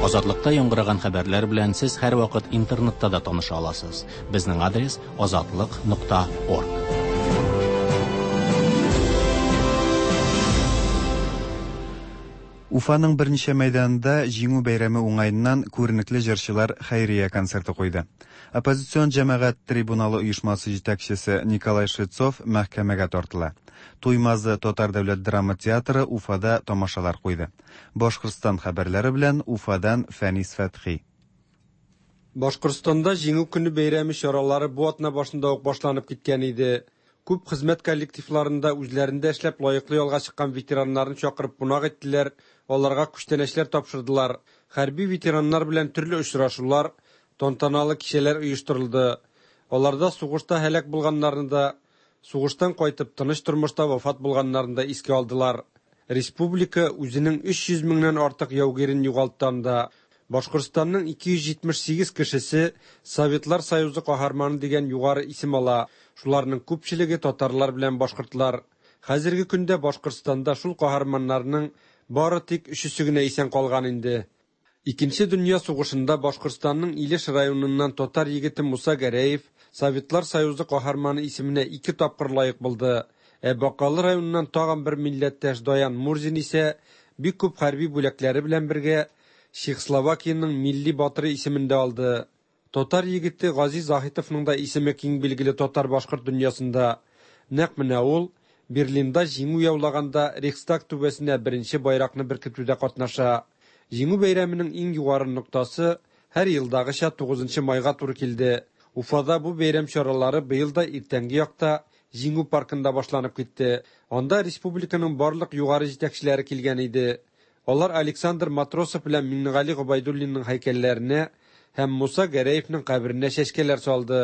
Азатлыкта яңгыраган хәбәрләр белән сез һәрвакыт интернетта да таныша аласыз. Безнең адрес азатлык.орг. Уфаның берничә мәйданында Җиңү бәйрәме уңаеннан күренекле җырчылар хәйрия концерты куйды. Оппозицион җәмәгать трибуналы оешмасы җитәкчесе Николай Швецов мәхкәмәгә тартыла. Туймазы татар дәүләт драма театры Уфада тамашалар куйды. Башкортстан хәбәрләре белән Уфадан Фәнис Фәтхи. Башкортстанда Җиңү көне бәйрәме чаралары бу атна башында ук башланып киткән иде. Күп хезмәт коллективларында үзләрендә эшләп лаеклы ялга чыккан ветераннарны чакырып кунак иттеләр, аларга күчтәнәчләр тапшырдылар. Хәрби ветераннар белән төрле очрашулар, тантаналы кичәләр оештырылды. Аларда сугышта һәлак булганнарны да, сугыштан кайтып тыныч тормышта вафат булганнарны да искә алдылар. Республика үзенең 300 меңнән артык яугирен югалтты анда. Башкортстанның 278 кешесе Советлар Союзы каһарманы дигән югары исем ала. Шуларның күпчелеге татарлар белән башкортлар. Хәзерге көндә Башкортстанда шул каһарманнарның бары тик өчесе генә исән калган инде. Икенче дөнья сугышында Башкортстанның Илеш районыннан татар егете Муса Гәрәев Советлар Союзы каһарманы исеменә ике тапкыр лаек булды. Ә Бакалы районыннан тагын бер милләттәш Даян Мурзин исә бик күп хәрби бүләкләре белән бергә Чехословакиянең милли батыры исемен дә алды. Татар егете Гази Заһитовның да исеме киң билгеле татар-башкорт дөньясында. Нәкъ менә ул Берлинда җиңү яулаганда Рейхстаг түбәсенә беренче байракны беркетүдә катнаша. Җиңү бәйрәменең иң югары ноктасы һәр елдагыча 9 майга туры килде. Уфада бу бәйрәм чаралары быел да иртәнге якта Җиңү паркында башланып китте. Анда республиканың барлык югары җитәкчеләре килгән иде. Алар Александр Матросов белән Миңнегали Гобәйдуллинның һәйкәлләренә һәм Муса Гәрәевның каберенә чәчкәләр салды.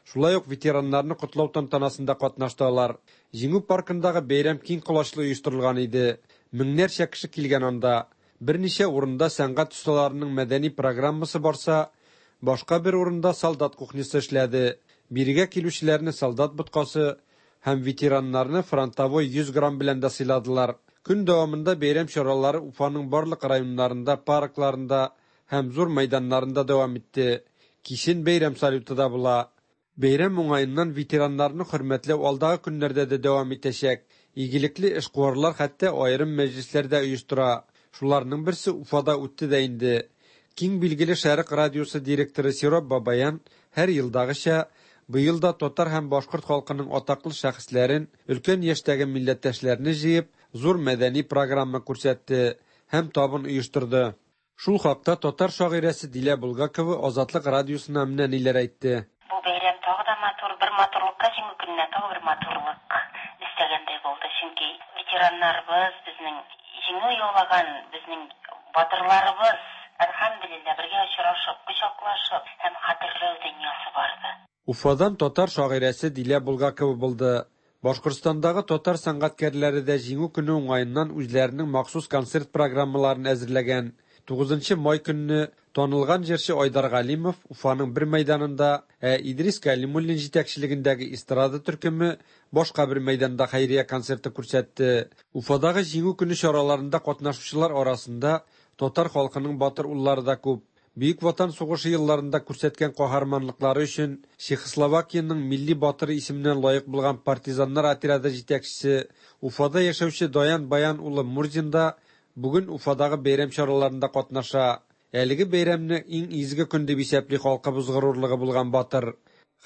Шулай ук ветераннарны котлау тантанасында катнашты алар. Җиңү паркындагы бәйрәм киң колачлы оештырылган иде. Меңнәрчә кеше килгән анда. Берничә урында сәнгать осталарының мәдәни программасы барса, башка бер урында солдат кухнясы эшләде. Бирегә килүчеләрне солдат боткасы һәм ветераннарны фронтовой 100 грамм белән дә сыйладылар. Көн дәвамында бәйрәм чаралары Уфаның барлык районнарында, паркларында һәм зур мәйданнарында дәвам итте. Кичен бәйрәм салюты да була. Бәйрәм уңаеннан ветераннарны хөрмәтләү алдагы көннәрдә дә дәвам итәчәк. Игелекле эшкуарлар хәтта аерым мәҗлесләр дә оештыра. Шуларның берсе Уфада үтте дә инде. Киң билгеле Шәрык радиосы директоры Сироп Бабаян һәр елдагыча быел да татар һәм башкорт халкының атаклы шәхесләрен, өлкән яшьтәге милләттәшләрне җыеп, зур мәдәни программа күрсәтте һәм табын оештырды. Шул хакта татар шагыйрәсе Дилә Булгакова Азатлык радиосына менә ниләр әйтте. Бу бәйрәм тагы да матур, бер матурлыкка Җиңү көненә тагы бер матурлык өстәгәндәй булды. Чөнки ветераннарыбыз, безнең җиңү яулаган безнең батырларыбыз, әлхәмдүлилләһ. мизгелендә бергә очрашып, кочаклашып һәм хәтерләү дөньясы барды. Уфадан татар шагыйрәсе Дилә Булгакова булды. Башкортстандагы татар сәнгатькәрләре дә Җиңү көне уңаеннан үзләренең махсус концерт программаларын әзерләгән. 9 май көнне танылган җырчы Айдар Галимов Уфаның бер мәйданында, ә Идрис Кәлимуллин җитәкчелегендәге эстрада төркеме башка бер мәйданда хәйрия концерты күрсәтте. Уфадагы Җиңү көне чараларында катнашучылар арасында татар халкының батыр уллары да күп. Бөек Ватан сугышы елларында күрсәткән каһарманлыклары өчен Чехословакиянең милли батыры исеменә лаек булган партизаннар отряды җитәкчесе, Уфада яшәүче Даян Баян улы Мурзин да бүген Уфадагы бәйрәм чараларында катнаша. Әлеге бәйрәмне иң изге көн дип исәпли халкыбыз горурлыгы булган батыр.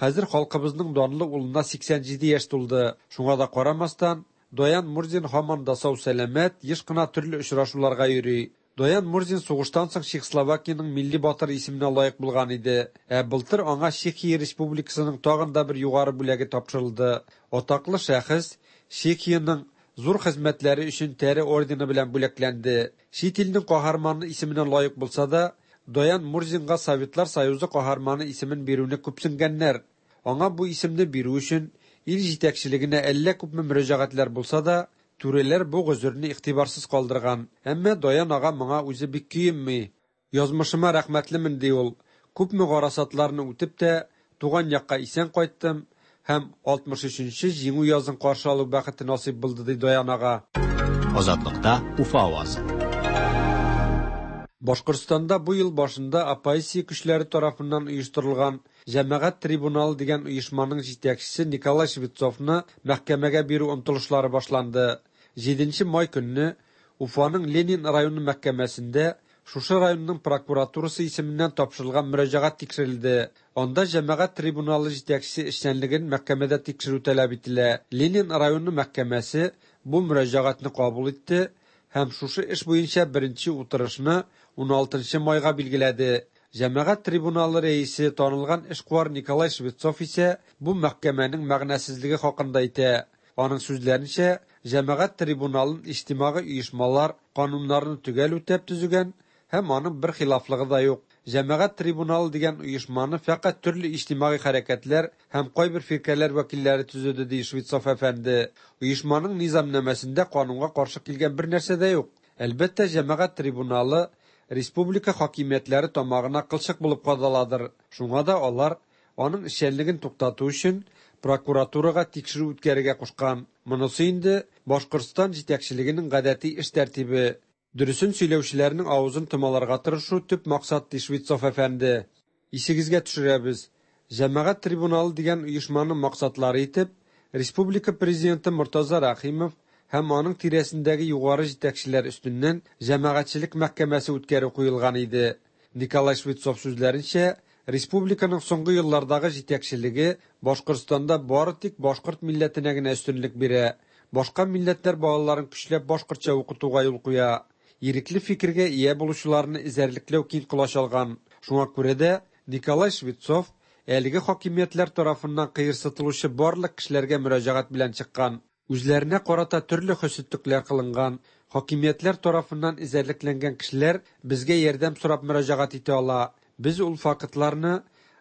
Хәзер халкыбызның данлы улына 87 яшь тулды. Шуңа да карамастан, Даян Мурзин һаман да сау-сәламәт, еш кына төрле очрашуларга йөри. Даян Мурзин сугыштан соң Чехословакиянең милли батыры исеменә лаек булган иде. Ә былтыр аңа Чехия Республикасының тагын да бер югары бүләге тапшырылды. Атаклы шәхес Чехиянең зур хезмәтләре өчен тәре ордены белән бүләкләнде. Чит илнең каһарманы исеменә лаек булса да, Даян Мурзинга Советлар Союзы каһарманы исемен бирүне күпсенгәннәр. Аңа бу исемне бирү өчен ил җитәкчелегенә әллә күпме мөрәҗәгатьләр булса да, түрәләр бу гозерне игътибарсыз калдырган. Әмма Даян ага моңа үзе бик көенми. Язмышыма рәхмәтлемен, ди ул. Күпме гарасатларны үтеп тә, туган якка исән кайттым һәм 63 нче Җиңү язын каршы алу бәхете насыйп булды, ди Даян ага. Азатлыкта Уфа авазы. Башкортстанда бу ел башында оппозиция көчләре тарафыннан оештырылган Җәмәгать трибуналы дигән оешманың җитәкчесе Николай Швецовны мәхкәмәгә бирү омтылышлары башланды. Җиденче май көнне Уфаның Ленин районы мәхкәмәсендә шушы районның прокуратурасы исеменнән тапшырылган мөрәҗәгать тикшерелде. Анда Җәмәгать трибуналы җитәкчесе эшчәнлеген мәхкәмәдә тикшерү таләп ителә. Ленин районы мәхкәмәсе бу мөрәҗәгатьне кабул итте һәм шушы эш буенча беренче утырышны уналтынчы майга билгеләде. Җәмәгать трибуналы рәисе, танылган эшкуар Николай Швецов исә бу мәхкәмәнең мәгънәсезлеге хакында әйтә. Аның сүзләренчә, җәмәгать трибуналын иҗтимагый оешмалар кануннарны төгәл үтәп төзегән һәм аның бер хилафлыгы да юк. Җәмәгать трибуналы дигән оешманы фәкать төрле иҗтимагый хәрәкәтләр һәм кайбер фиркәләр вәкилләре төзеде, ди Швецов әфәнде. Оешманың низамнамәсендә канунга каршы килгән бер нәрсә дә юк. Әлбәттә, җәмәгать трибуналы республика хакимиятләре тамагына кылчык булып кадаладыр. Шуңа да алар, аның эшчәнлеген туктату өчен, прокуратурага тикшерү үткәрергә кушкан. Монысы инде, Башкортстан җитәкчелегенең гадәти эш тәртибе. Дөресен сөйләүчеләрнең авызын томаларга тырышу төп максат, ди Швецов әфәнде. Исегезгә төшерәбез, Җәмәгать трибуналы дигән оешманың максатлары итеп, республика президенты Мортаза Рәхимов һәм аның тирәсендәге югары җитәкчеләр өстеннән җәмәгатьчелек мәхкәмәсе үткәрү куелган иде. Николай Швецов сүзләренчә, республиканың соңгы еллардагы җитәкчелеге Башкортстанда бары тик башкорт милләтенә генә өстенлек бирә, башка милләтләр балаларын көчләп башкортча укытуга юл куя, ирекле фикергә ия булучыларны эзәрлекләү киң колач алган. Шуңа күрә дә Николай Швецов әлеге хакимиятләр тарафыннан кыерсытылучы барлык кешеләргә мөрәҗәгать белән чыккан. Үзләренә карата төрле хөсетлекләр кылынган, хакимиятләр тарафыннан эзәрлекләнгән кешеләр безгә ярдәм сорап мөрәҗәгать итә ала. Без ул фактларны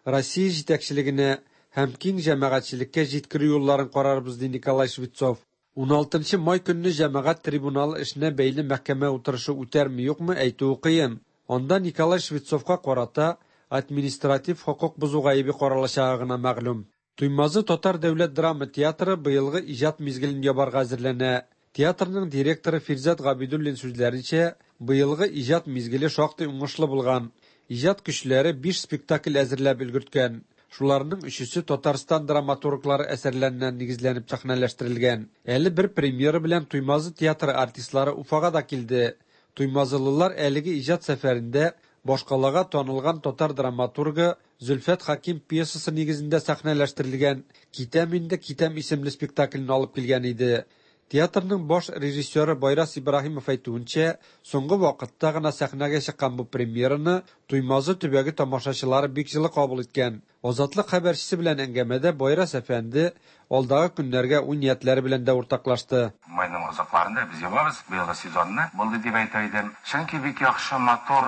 Россия җитәкчелегенә һәм киң җәмәгатьчелеккә җиткерү юлларын карарбыз, ди Николай Швецов. Уналтынчы май көнне җәмәгать трибуналы эшенә бәйле мәхкәмә утырышы үтәрме-юкмы, әйтүе кыен. Анда Николай Швецовка карата административ хокук бозу гаебе каралачагы гына мәгълүм. Туймазы татар дәүләт драма театры быелгы иҗат мизгелен ябарга әзерләнә. Театрның директоры Фирзәт Габидуллин сүзләренчә, быелгы иҗат мизгеле шактый уңышлы булган. Иҗат көчләре биш спектакль әзерләп өлгерткән. Шуларның өчесе Татарстан драматурглары әсәрләренә нигезләнеп сәхнәләштерелгән. Әле бер премьера белән Туймазы театры артистлары Уфага да килде. Туймазылылар әлеге иҗат сәфәрендә башкалага танылган татар драматургы Зөлфәт Хәким пьесасы нигезендә сәхнәләштерелгән Китәм инде, китәм исемле спектаклен алып килгән иде. Театрның баш режиссеры Байрас Ибраһимов әйтүенчә, соңгы вакытта гына сәхнәгә чыккан бу премьераны Туймазы төбәге тамашачылары бик җылы кабул иткән. Азатлык хәбәрчесе белән әңгәмәдә Байрас әфәнде алдагы көннәргә уй-ниятләре белән дә уртаклашты. Майның азакларында без ябабыз быелгы сезонны, булды дип әйтер идем. Чөнки бик яхшы, матур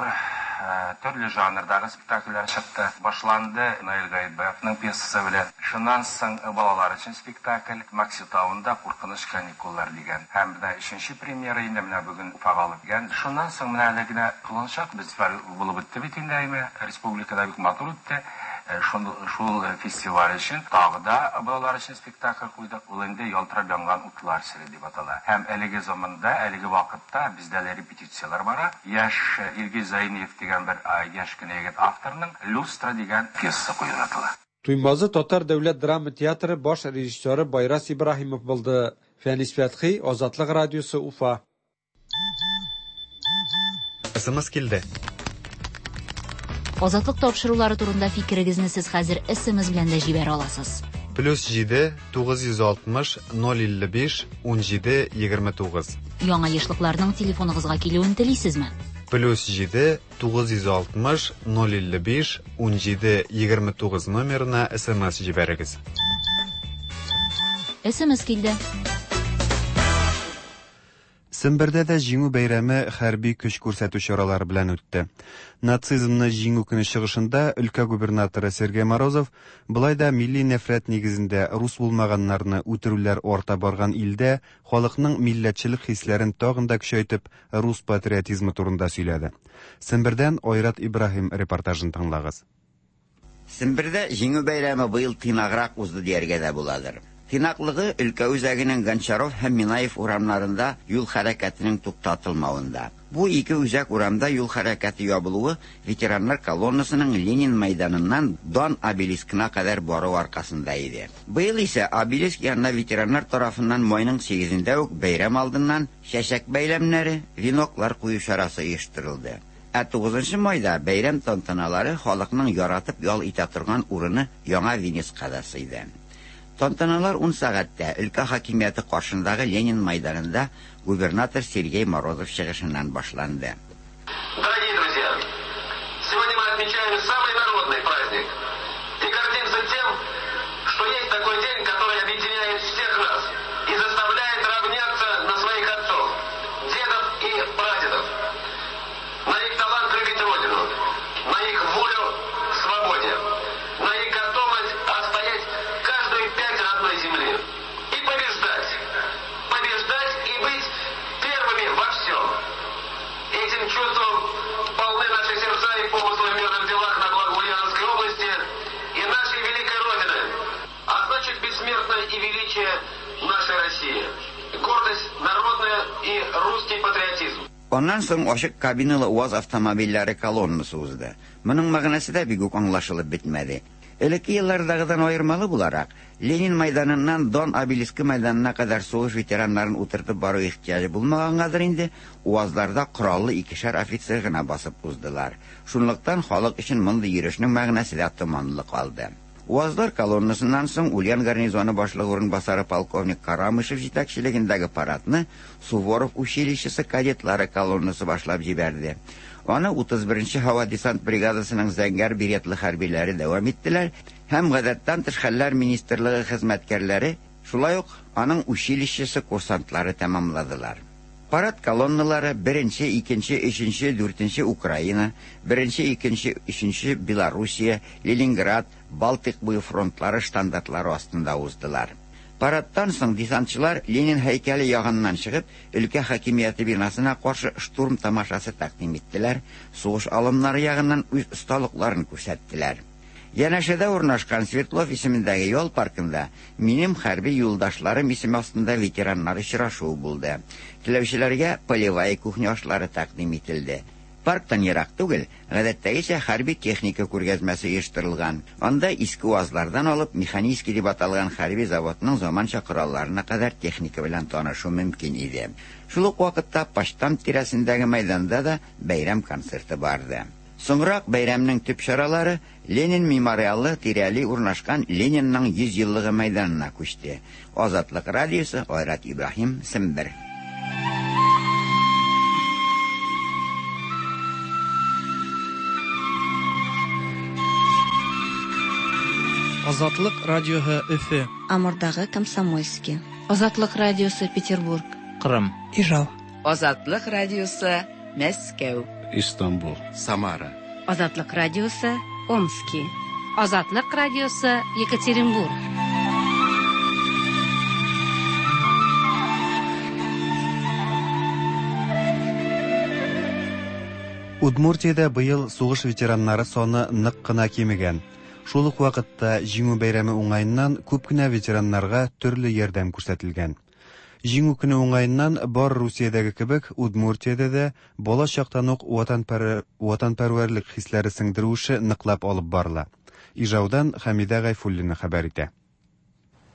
Төрле жанрдагы спектакльләр чыкты. Башланды Наил Гаетбаевның пьесасы белән. Шуннан соң балалар өчен спектакль Макси тавында куркыныч каникуллар дигән. Һәм менә өченче премьера инде менә бүген Уфага алып килгән. Шуннан соң менә әле генә Колынчак фестиваль булып үтте бит инде, әйме, республикада бик матур үтте. Шул, шул фестиваль өчен тагы да балалар өчен спектакль куйдык. Ул инде Ялтырап янган утлар сере дип атала. Һәм әлеге заманда, әлеге вакытта бездә әле репетицияләр бара. Яшь Илгиз Зәйниев дигән бер яшь кенә егет авторның Люстра дигән пьесасы куелып ятыла. Туймазы татар дәүләт драма театры баш режиссеры Байрас Ибраһимов булды. Фәнис Фәтхи, Азатлык радиосы, Уфа. СМС килде. Азатлык тапшырулары турында фикерегезне сез хәзер СМС белән дә җибәрә аласыз. Плюс 7 960 055 17 29. Яңа ешлыкларның телефоныгызга килүен телисезме? Плюс 7 960 055 17 29 номерына СМС җибәрегез. СМС килде. Сембердә дә Җиңү бәйрәме хәрби көч күрсәтү чаралары белән үтте. Нацизмны җиңү көне чыгышында өлкә губернаторы Сергей Морозов болай да милли нәфрәт нигезендә рус булмаганнарны үтерүләр арта барган илдә халыкның милләтчелек хисләрен тагын да көчәйтеп рус патриотизмы турында сөйләде. Сембердән Айрат Ибраһим репортажын тыңлагыз. Сембердә Җиңү бәйрәме быел тыйнаграк узды дияргә дә буладыр. Тыйнаклыгы өлкә үзәгенең Гончаров һәм Минаев урамнарында юл хәрәкәтенең туктатылмавында. Бу ике үзәк урамда юл хәрәкәте ябылуы ветераннар колоннасының Ленин мәйданыннан Дан обелискына кадәр баруы аркасында иде. Быел исә обелиск янына ветераннар тарафыннан майның сигезендә үк бәйрәм алдыннан чәчәк бәйләмнәре, веноклар кую чарасы оештырылды. Ә тугызынчы майда бәйрәм тантаналары халыкның яратып ял итә торган урыны Яңа Венецка да сыйды. Тантаналар ун сәгатьтә өлкә хакимияте каршындагы Ленин майданында губернатор Сергей Морозов чыгышыннан башланды. Дорогие друзья, сегодня мы отмечаем самый народный праздник и гордимся тем, что есть такой день, который объединяет всех нас и заставляет равняться на своих отцов, дедов и прадедов, на их талант любить Родину, на их волю к свободе, на их готовность отстоять каждую пять родной земли и побеждать, побеждать и быть первыми во всем. Этим чувством полны наши сердца и помыслы в мирных делах на благо Ульяновской области и нашей великой Родины, а значит бессмертное и величие нашей России, гордость народная и русский патриотизм. Аннан соң ачык кабиналы УАЗ автомобильләре колоннасы узды. Моның мәгънәсе дә бик үк аңлашылып бетмәде. Элекке еллардагыдан аермалы буларак, Ленин майданыннан Дон обелискы майданына кадәр сугыш ветераннарын утыртып бару ихтыяҗы булмагангадыр инде, УАЗларда кораллы икешәр офицер гына басып уздылар. Шунлыктан халык өчен мондый йөрешнең мәгънәсе дә томанлы калды. УАЗлар колоннасыннан соң Ульян гарнизоны башлыгы урынбасары полковник Карамышев җитәкчелегендәге парадны Суворов училищесы кадетлары колоннасы башлап җибәрде. Аны 31 нче һава десант бригадасының зәңгәр беретлы хәрбиләре дәвам иттеләр һәм Гадәттән тыш хәлләр министрлыгы хезмәткәрләре, шулай ук аның училищесы курсантлары тәмамладылар. Парад колонналары беренче, икенче, өченче, дүртенче Украина, беренче, икенче, өченче Белоруссия, Ленинград, Балтыйк буе фронтлары штандартлары астында уздылар. Парадтан соң десантчылар Ленин һәйкәле ягыннан чыгып, өлкә хакимияте бинасына каршы штурм тамашасы тәкъдим иттеләр, сугыш алымнары ягыннан үз осталыкларын күрсәттеләр. Янәшәдә урнашкан Свердлов исемендәге ял паркында Минем хәрби юлдашларым исеме астында ветераннар очрашуы булды. Теләүчеләргә полевая кухня ашлары тәкъдим ителде. Парктан ерак түгел, гадәттәгечә хәрби техника күргәзмәсе оештырылган. Анда иске УАЗлардан алып Механический дип аталган хәрби заводның заманча коралларына кадәр техника белән танышу мөмкин иде. Шул ук вакытта почтамт тирәсендәге мәйданда да бәйрәм концерты барды. Соңрак бәйрәмнең төп чаралары Ленин мемориалы тирәли урнашкан Ленинның 100 еллыгы мәйданына күчте. Азатлык радиосы, Айрат Ибраһим, Сембер. Азатлык радиоһы Өфе. Амурдагы Комсомольски. Азатлык радиосы Петербург. Кырым. Ижау. Азатлык радиосы Мәскәү. Истанбул. Самара. Азатлык радиосы Омски. Азатлык радиосы Екатеринбург. Удмуртиядә быел сугыш ветераннары саны нык кына кимегән. Шул ук вакытта Җиңү бәйрәме уңаеннан күп кенә ветераннарга төрле ярдәм күрсәтелгән. Җиңү көне уңаеннан бар Русиядәге кебек Удмуртиядә дә бала чактан ук ватанпәрвәрлек хисләре сеңдерү эше ныклап алып барыла. Ижаудан Хәмидә Гайфуллина хәбәр итә.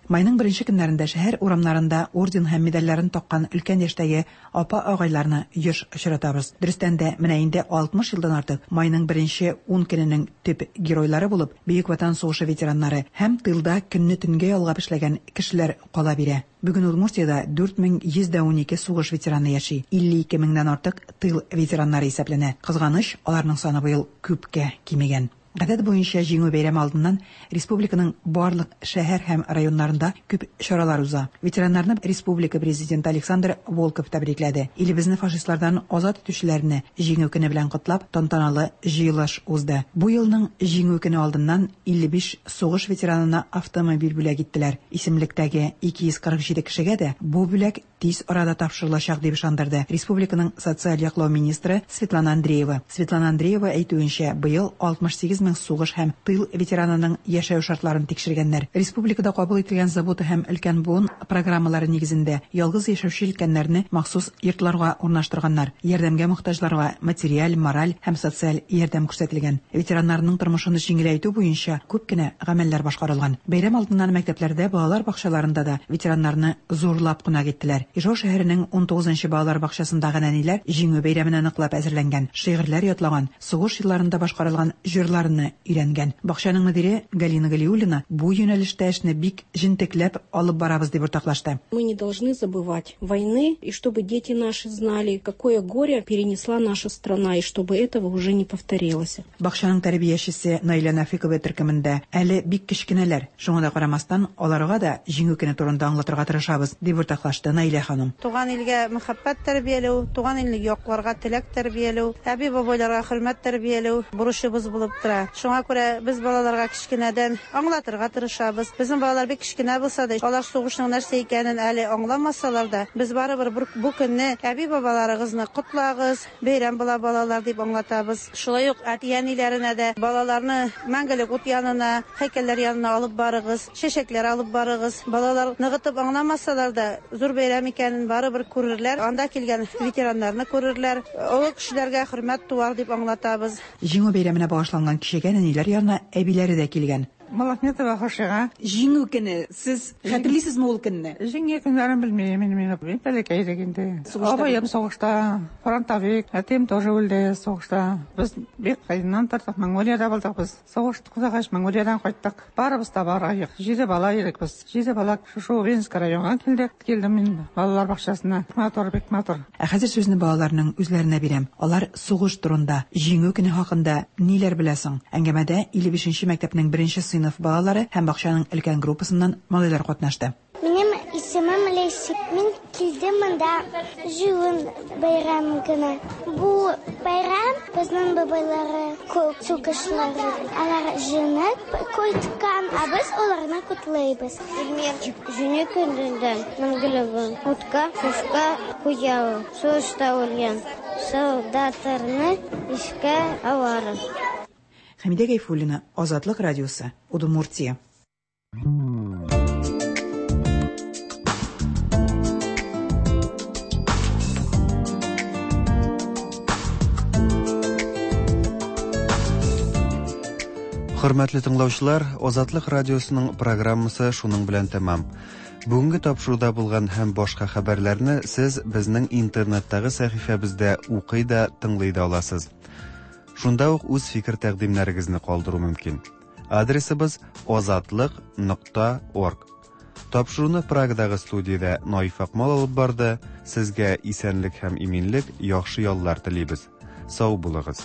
Майның беренче көннәрендә шәһәр урамнарында орден һәм медальләрен таккан өлкән яшьтәге апа-агайларны еш очратабыз. Дөрестән дә, менә инде 60 елдан артык майның беренче ун көненең төп геройлары булып Бөек Ватан сугышы ветераннары һәм тылда көнне төнгә ялгап эшләгән кешеләр кала бирә. Бүген Удмуртиядә 4112 сугыш ветераны яши, 52 меңнән артык тыл ветераннары исәпләнә. Кызганыч, аларның саны быел күпкә кимегән. Гадәт буенча Җиңү бәйрәме алдыннан республиканың барлык шәһәр һәм районнарында күп чаралар уза. Ветераннарны республика Президенты Александр Волков тәбрикләде. Илебезне фашистлардан азат итүчеләрне Җиңү көне белән котлап, тантаналы җыелыш узды. Бу елның Җиңү көне алдыннан 55 сугыш ветеранына автомобиль бүләк иттеләр. Исемлектәге 247 кешегә дә бу бүләк тиз арада тапшырылачак, дип ышандырды республиканың социаль яклау министры Светлана Андреева. Светлана Андреева әйтүенчә, быел 68 мең сугыш һәм тыл ветеранының яшәү шартларын тикшергәннәр. Республикада кабул ителгән Забота һәм өлкән буын программалары нигезендә ялгыз яшәүче өлкәннәрне махсус йортларга урнаштырганнар. Ярдәмгә мохтаҗларга материаль, мораль һәм социаль ярдәм күрсәтелгән. Ветераннарның тормышын җиңеләйтү буенча күп кенә гамәлләр башкарылган. Бәйрәм алдыннан мәктәпләрдә, балалар бакчаларында да ветераннарны зурлап кунак иттеләр. Ижау шәһәренең 19 нчы балалар бакчасындагы нәниләр Җиңү бәйрәменә ныклап әзерләнгән, шигырьләр ятлаган, сугыш елларында башкарылган җырларны өйрәнгән. Бакчаның мөдире Галина Галиуллина бу юнәлештә эшне бик җентекләп алып барабыз дип уртаклашты. Мы не должны забывать войны, и чтобы дети наши знали, какое горе перенесла наша страна, и чтобы этого уже не повторилось. Бакчаның тәрбиячесе Наилә Нәфыйкова төркемендә әле бик кечкенәләр, шуңа да карамастан, аларга да Җиңү көне турында аңлатырга тырышабыз, дип уртаклашты Наилә ханым. Туган илгә мәхәббәт тәрбияләү, туган илне якларга теләк тәрбияләү, әби-бабайларга хөрмәт тәрбияләү бурычыбыз булып тора. Шуңа күрә без балаларга кечкенәдән аңлатырга тырышабыз. Безнең балалар бик кечкенә булса да, алар сугышның нәрсә икәнен әле аңламасалар да, без барыбер бу көнне әби-бабаларыгызны котлагыз, бәйрәм була, балалар, дип аңлатабыз. Шулай ук әти-әниләренә дә балаларны мәңгелек ут янына, һәйкәлләр янына алып барыгыз, чәчәкләр алып барыгыз. Балалар ныгытып аңламасалар да, зур бәйрәм икәнен барыбер күрерләр, анда килгән ветераннарны күрерләр, олы кешеләргә хөрмәт туар дип аңлатабыз. Җиңү бәйрәменә багышланган кичәгә нәниләр янына әбиләре дә килгән. Малахметова Хошига. Җиңү көне, сез хәтерлисезме ул көнне? Җиңү көннәрен белмим инде мин. Мин бәләкәй идек инде. Абыем сугышта, фронтовик, әтием тоже үлде сугышта. Без бик кыеннан тордык, Монголиядә булдык без. Сугыш туктагач, Монголиядән кайттык. Барыбыз да бар аек. Җиде бала идек без. Җиде бала шушы Увинск районга килдек. Килдем мин балалар бакчасына. Матур, бик матур. Ә хәзер сүзне балаларның үзләренә бирәм. Алар сугыш турында, Җиңү көне хакында ниләр белә соң? Әңгәмәдә 55 нче мәктәпнең беренче сыйныф балалары һәм бакчаның өлкән группасыннан малайлар катнашты. Минем исемем Ләйсик. Мин килдем монда җыен бәйрәм генә. Бу бәйрәм безнең бабайлары күп сугышлары. Алар җыенып кайткан, ә без аларны котлыйбыз. Илмир җиңү көнендә мәңгелеген утка, сушка куялар. Сугышта үлгән солдатларны искә алабыз. Хәмидә Гайфуллина, Азатлык радиосы, Удмуртия. Хөрмәтле тыңлаучылар, Азатлык радиосының программасы шуның белән тәмам. Бүгенге тапшыруда булган һәм башка хәбәрләрне сез безнең интернеттагы сәхифәбездә укый да, тыңлый да аласыз. Шунда ук үз фикер-тәкъдимнәрегезне калдыру мөмкин. Адресыбыз азатлык нокта орг. Тапшыруны Прагадагы студиядә Наиф Акмал алып барды. Сезгә исәнлек һәм иминлек, яхшы яллар телибез. Сау булыгыз.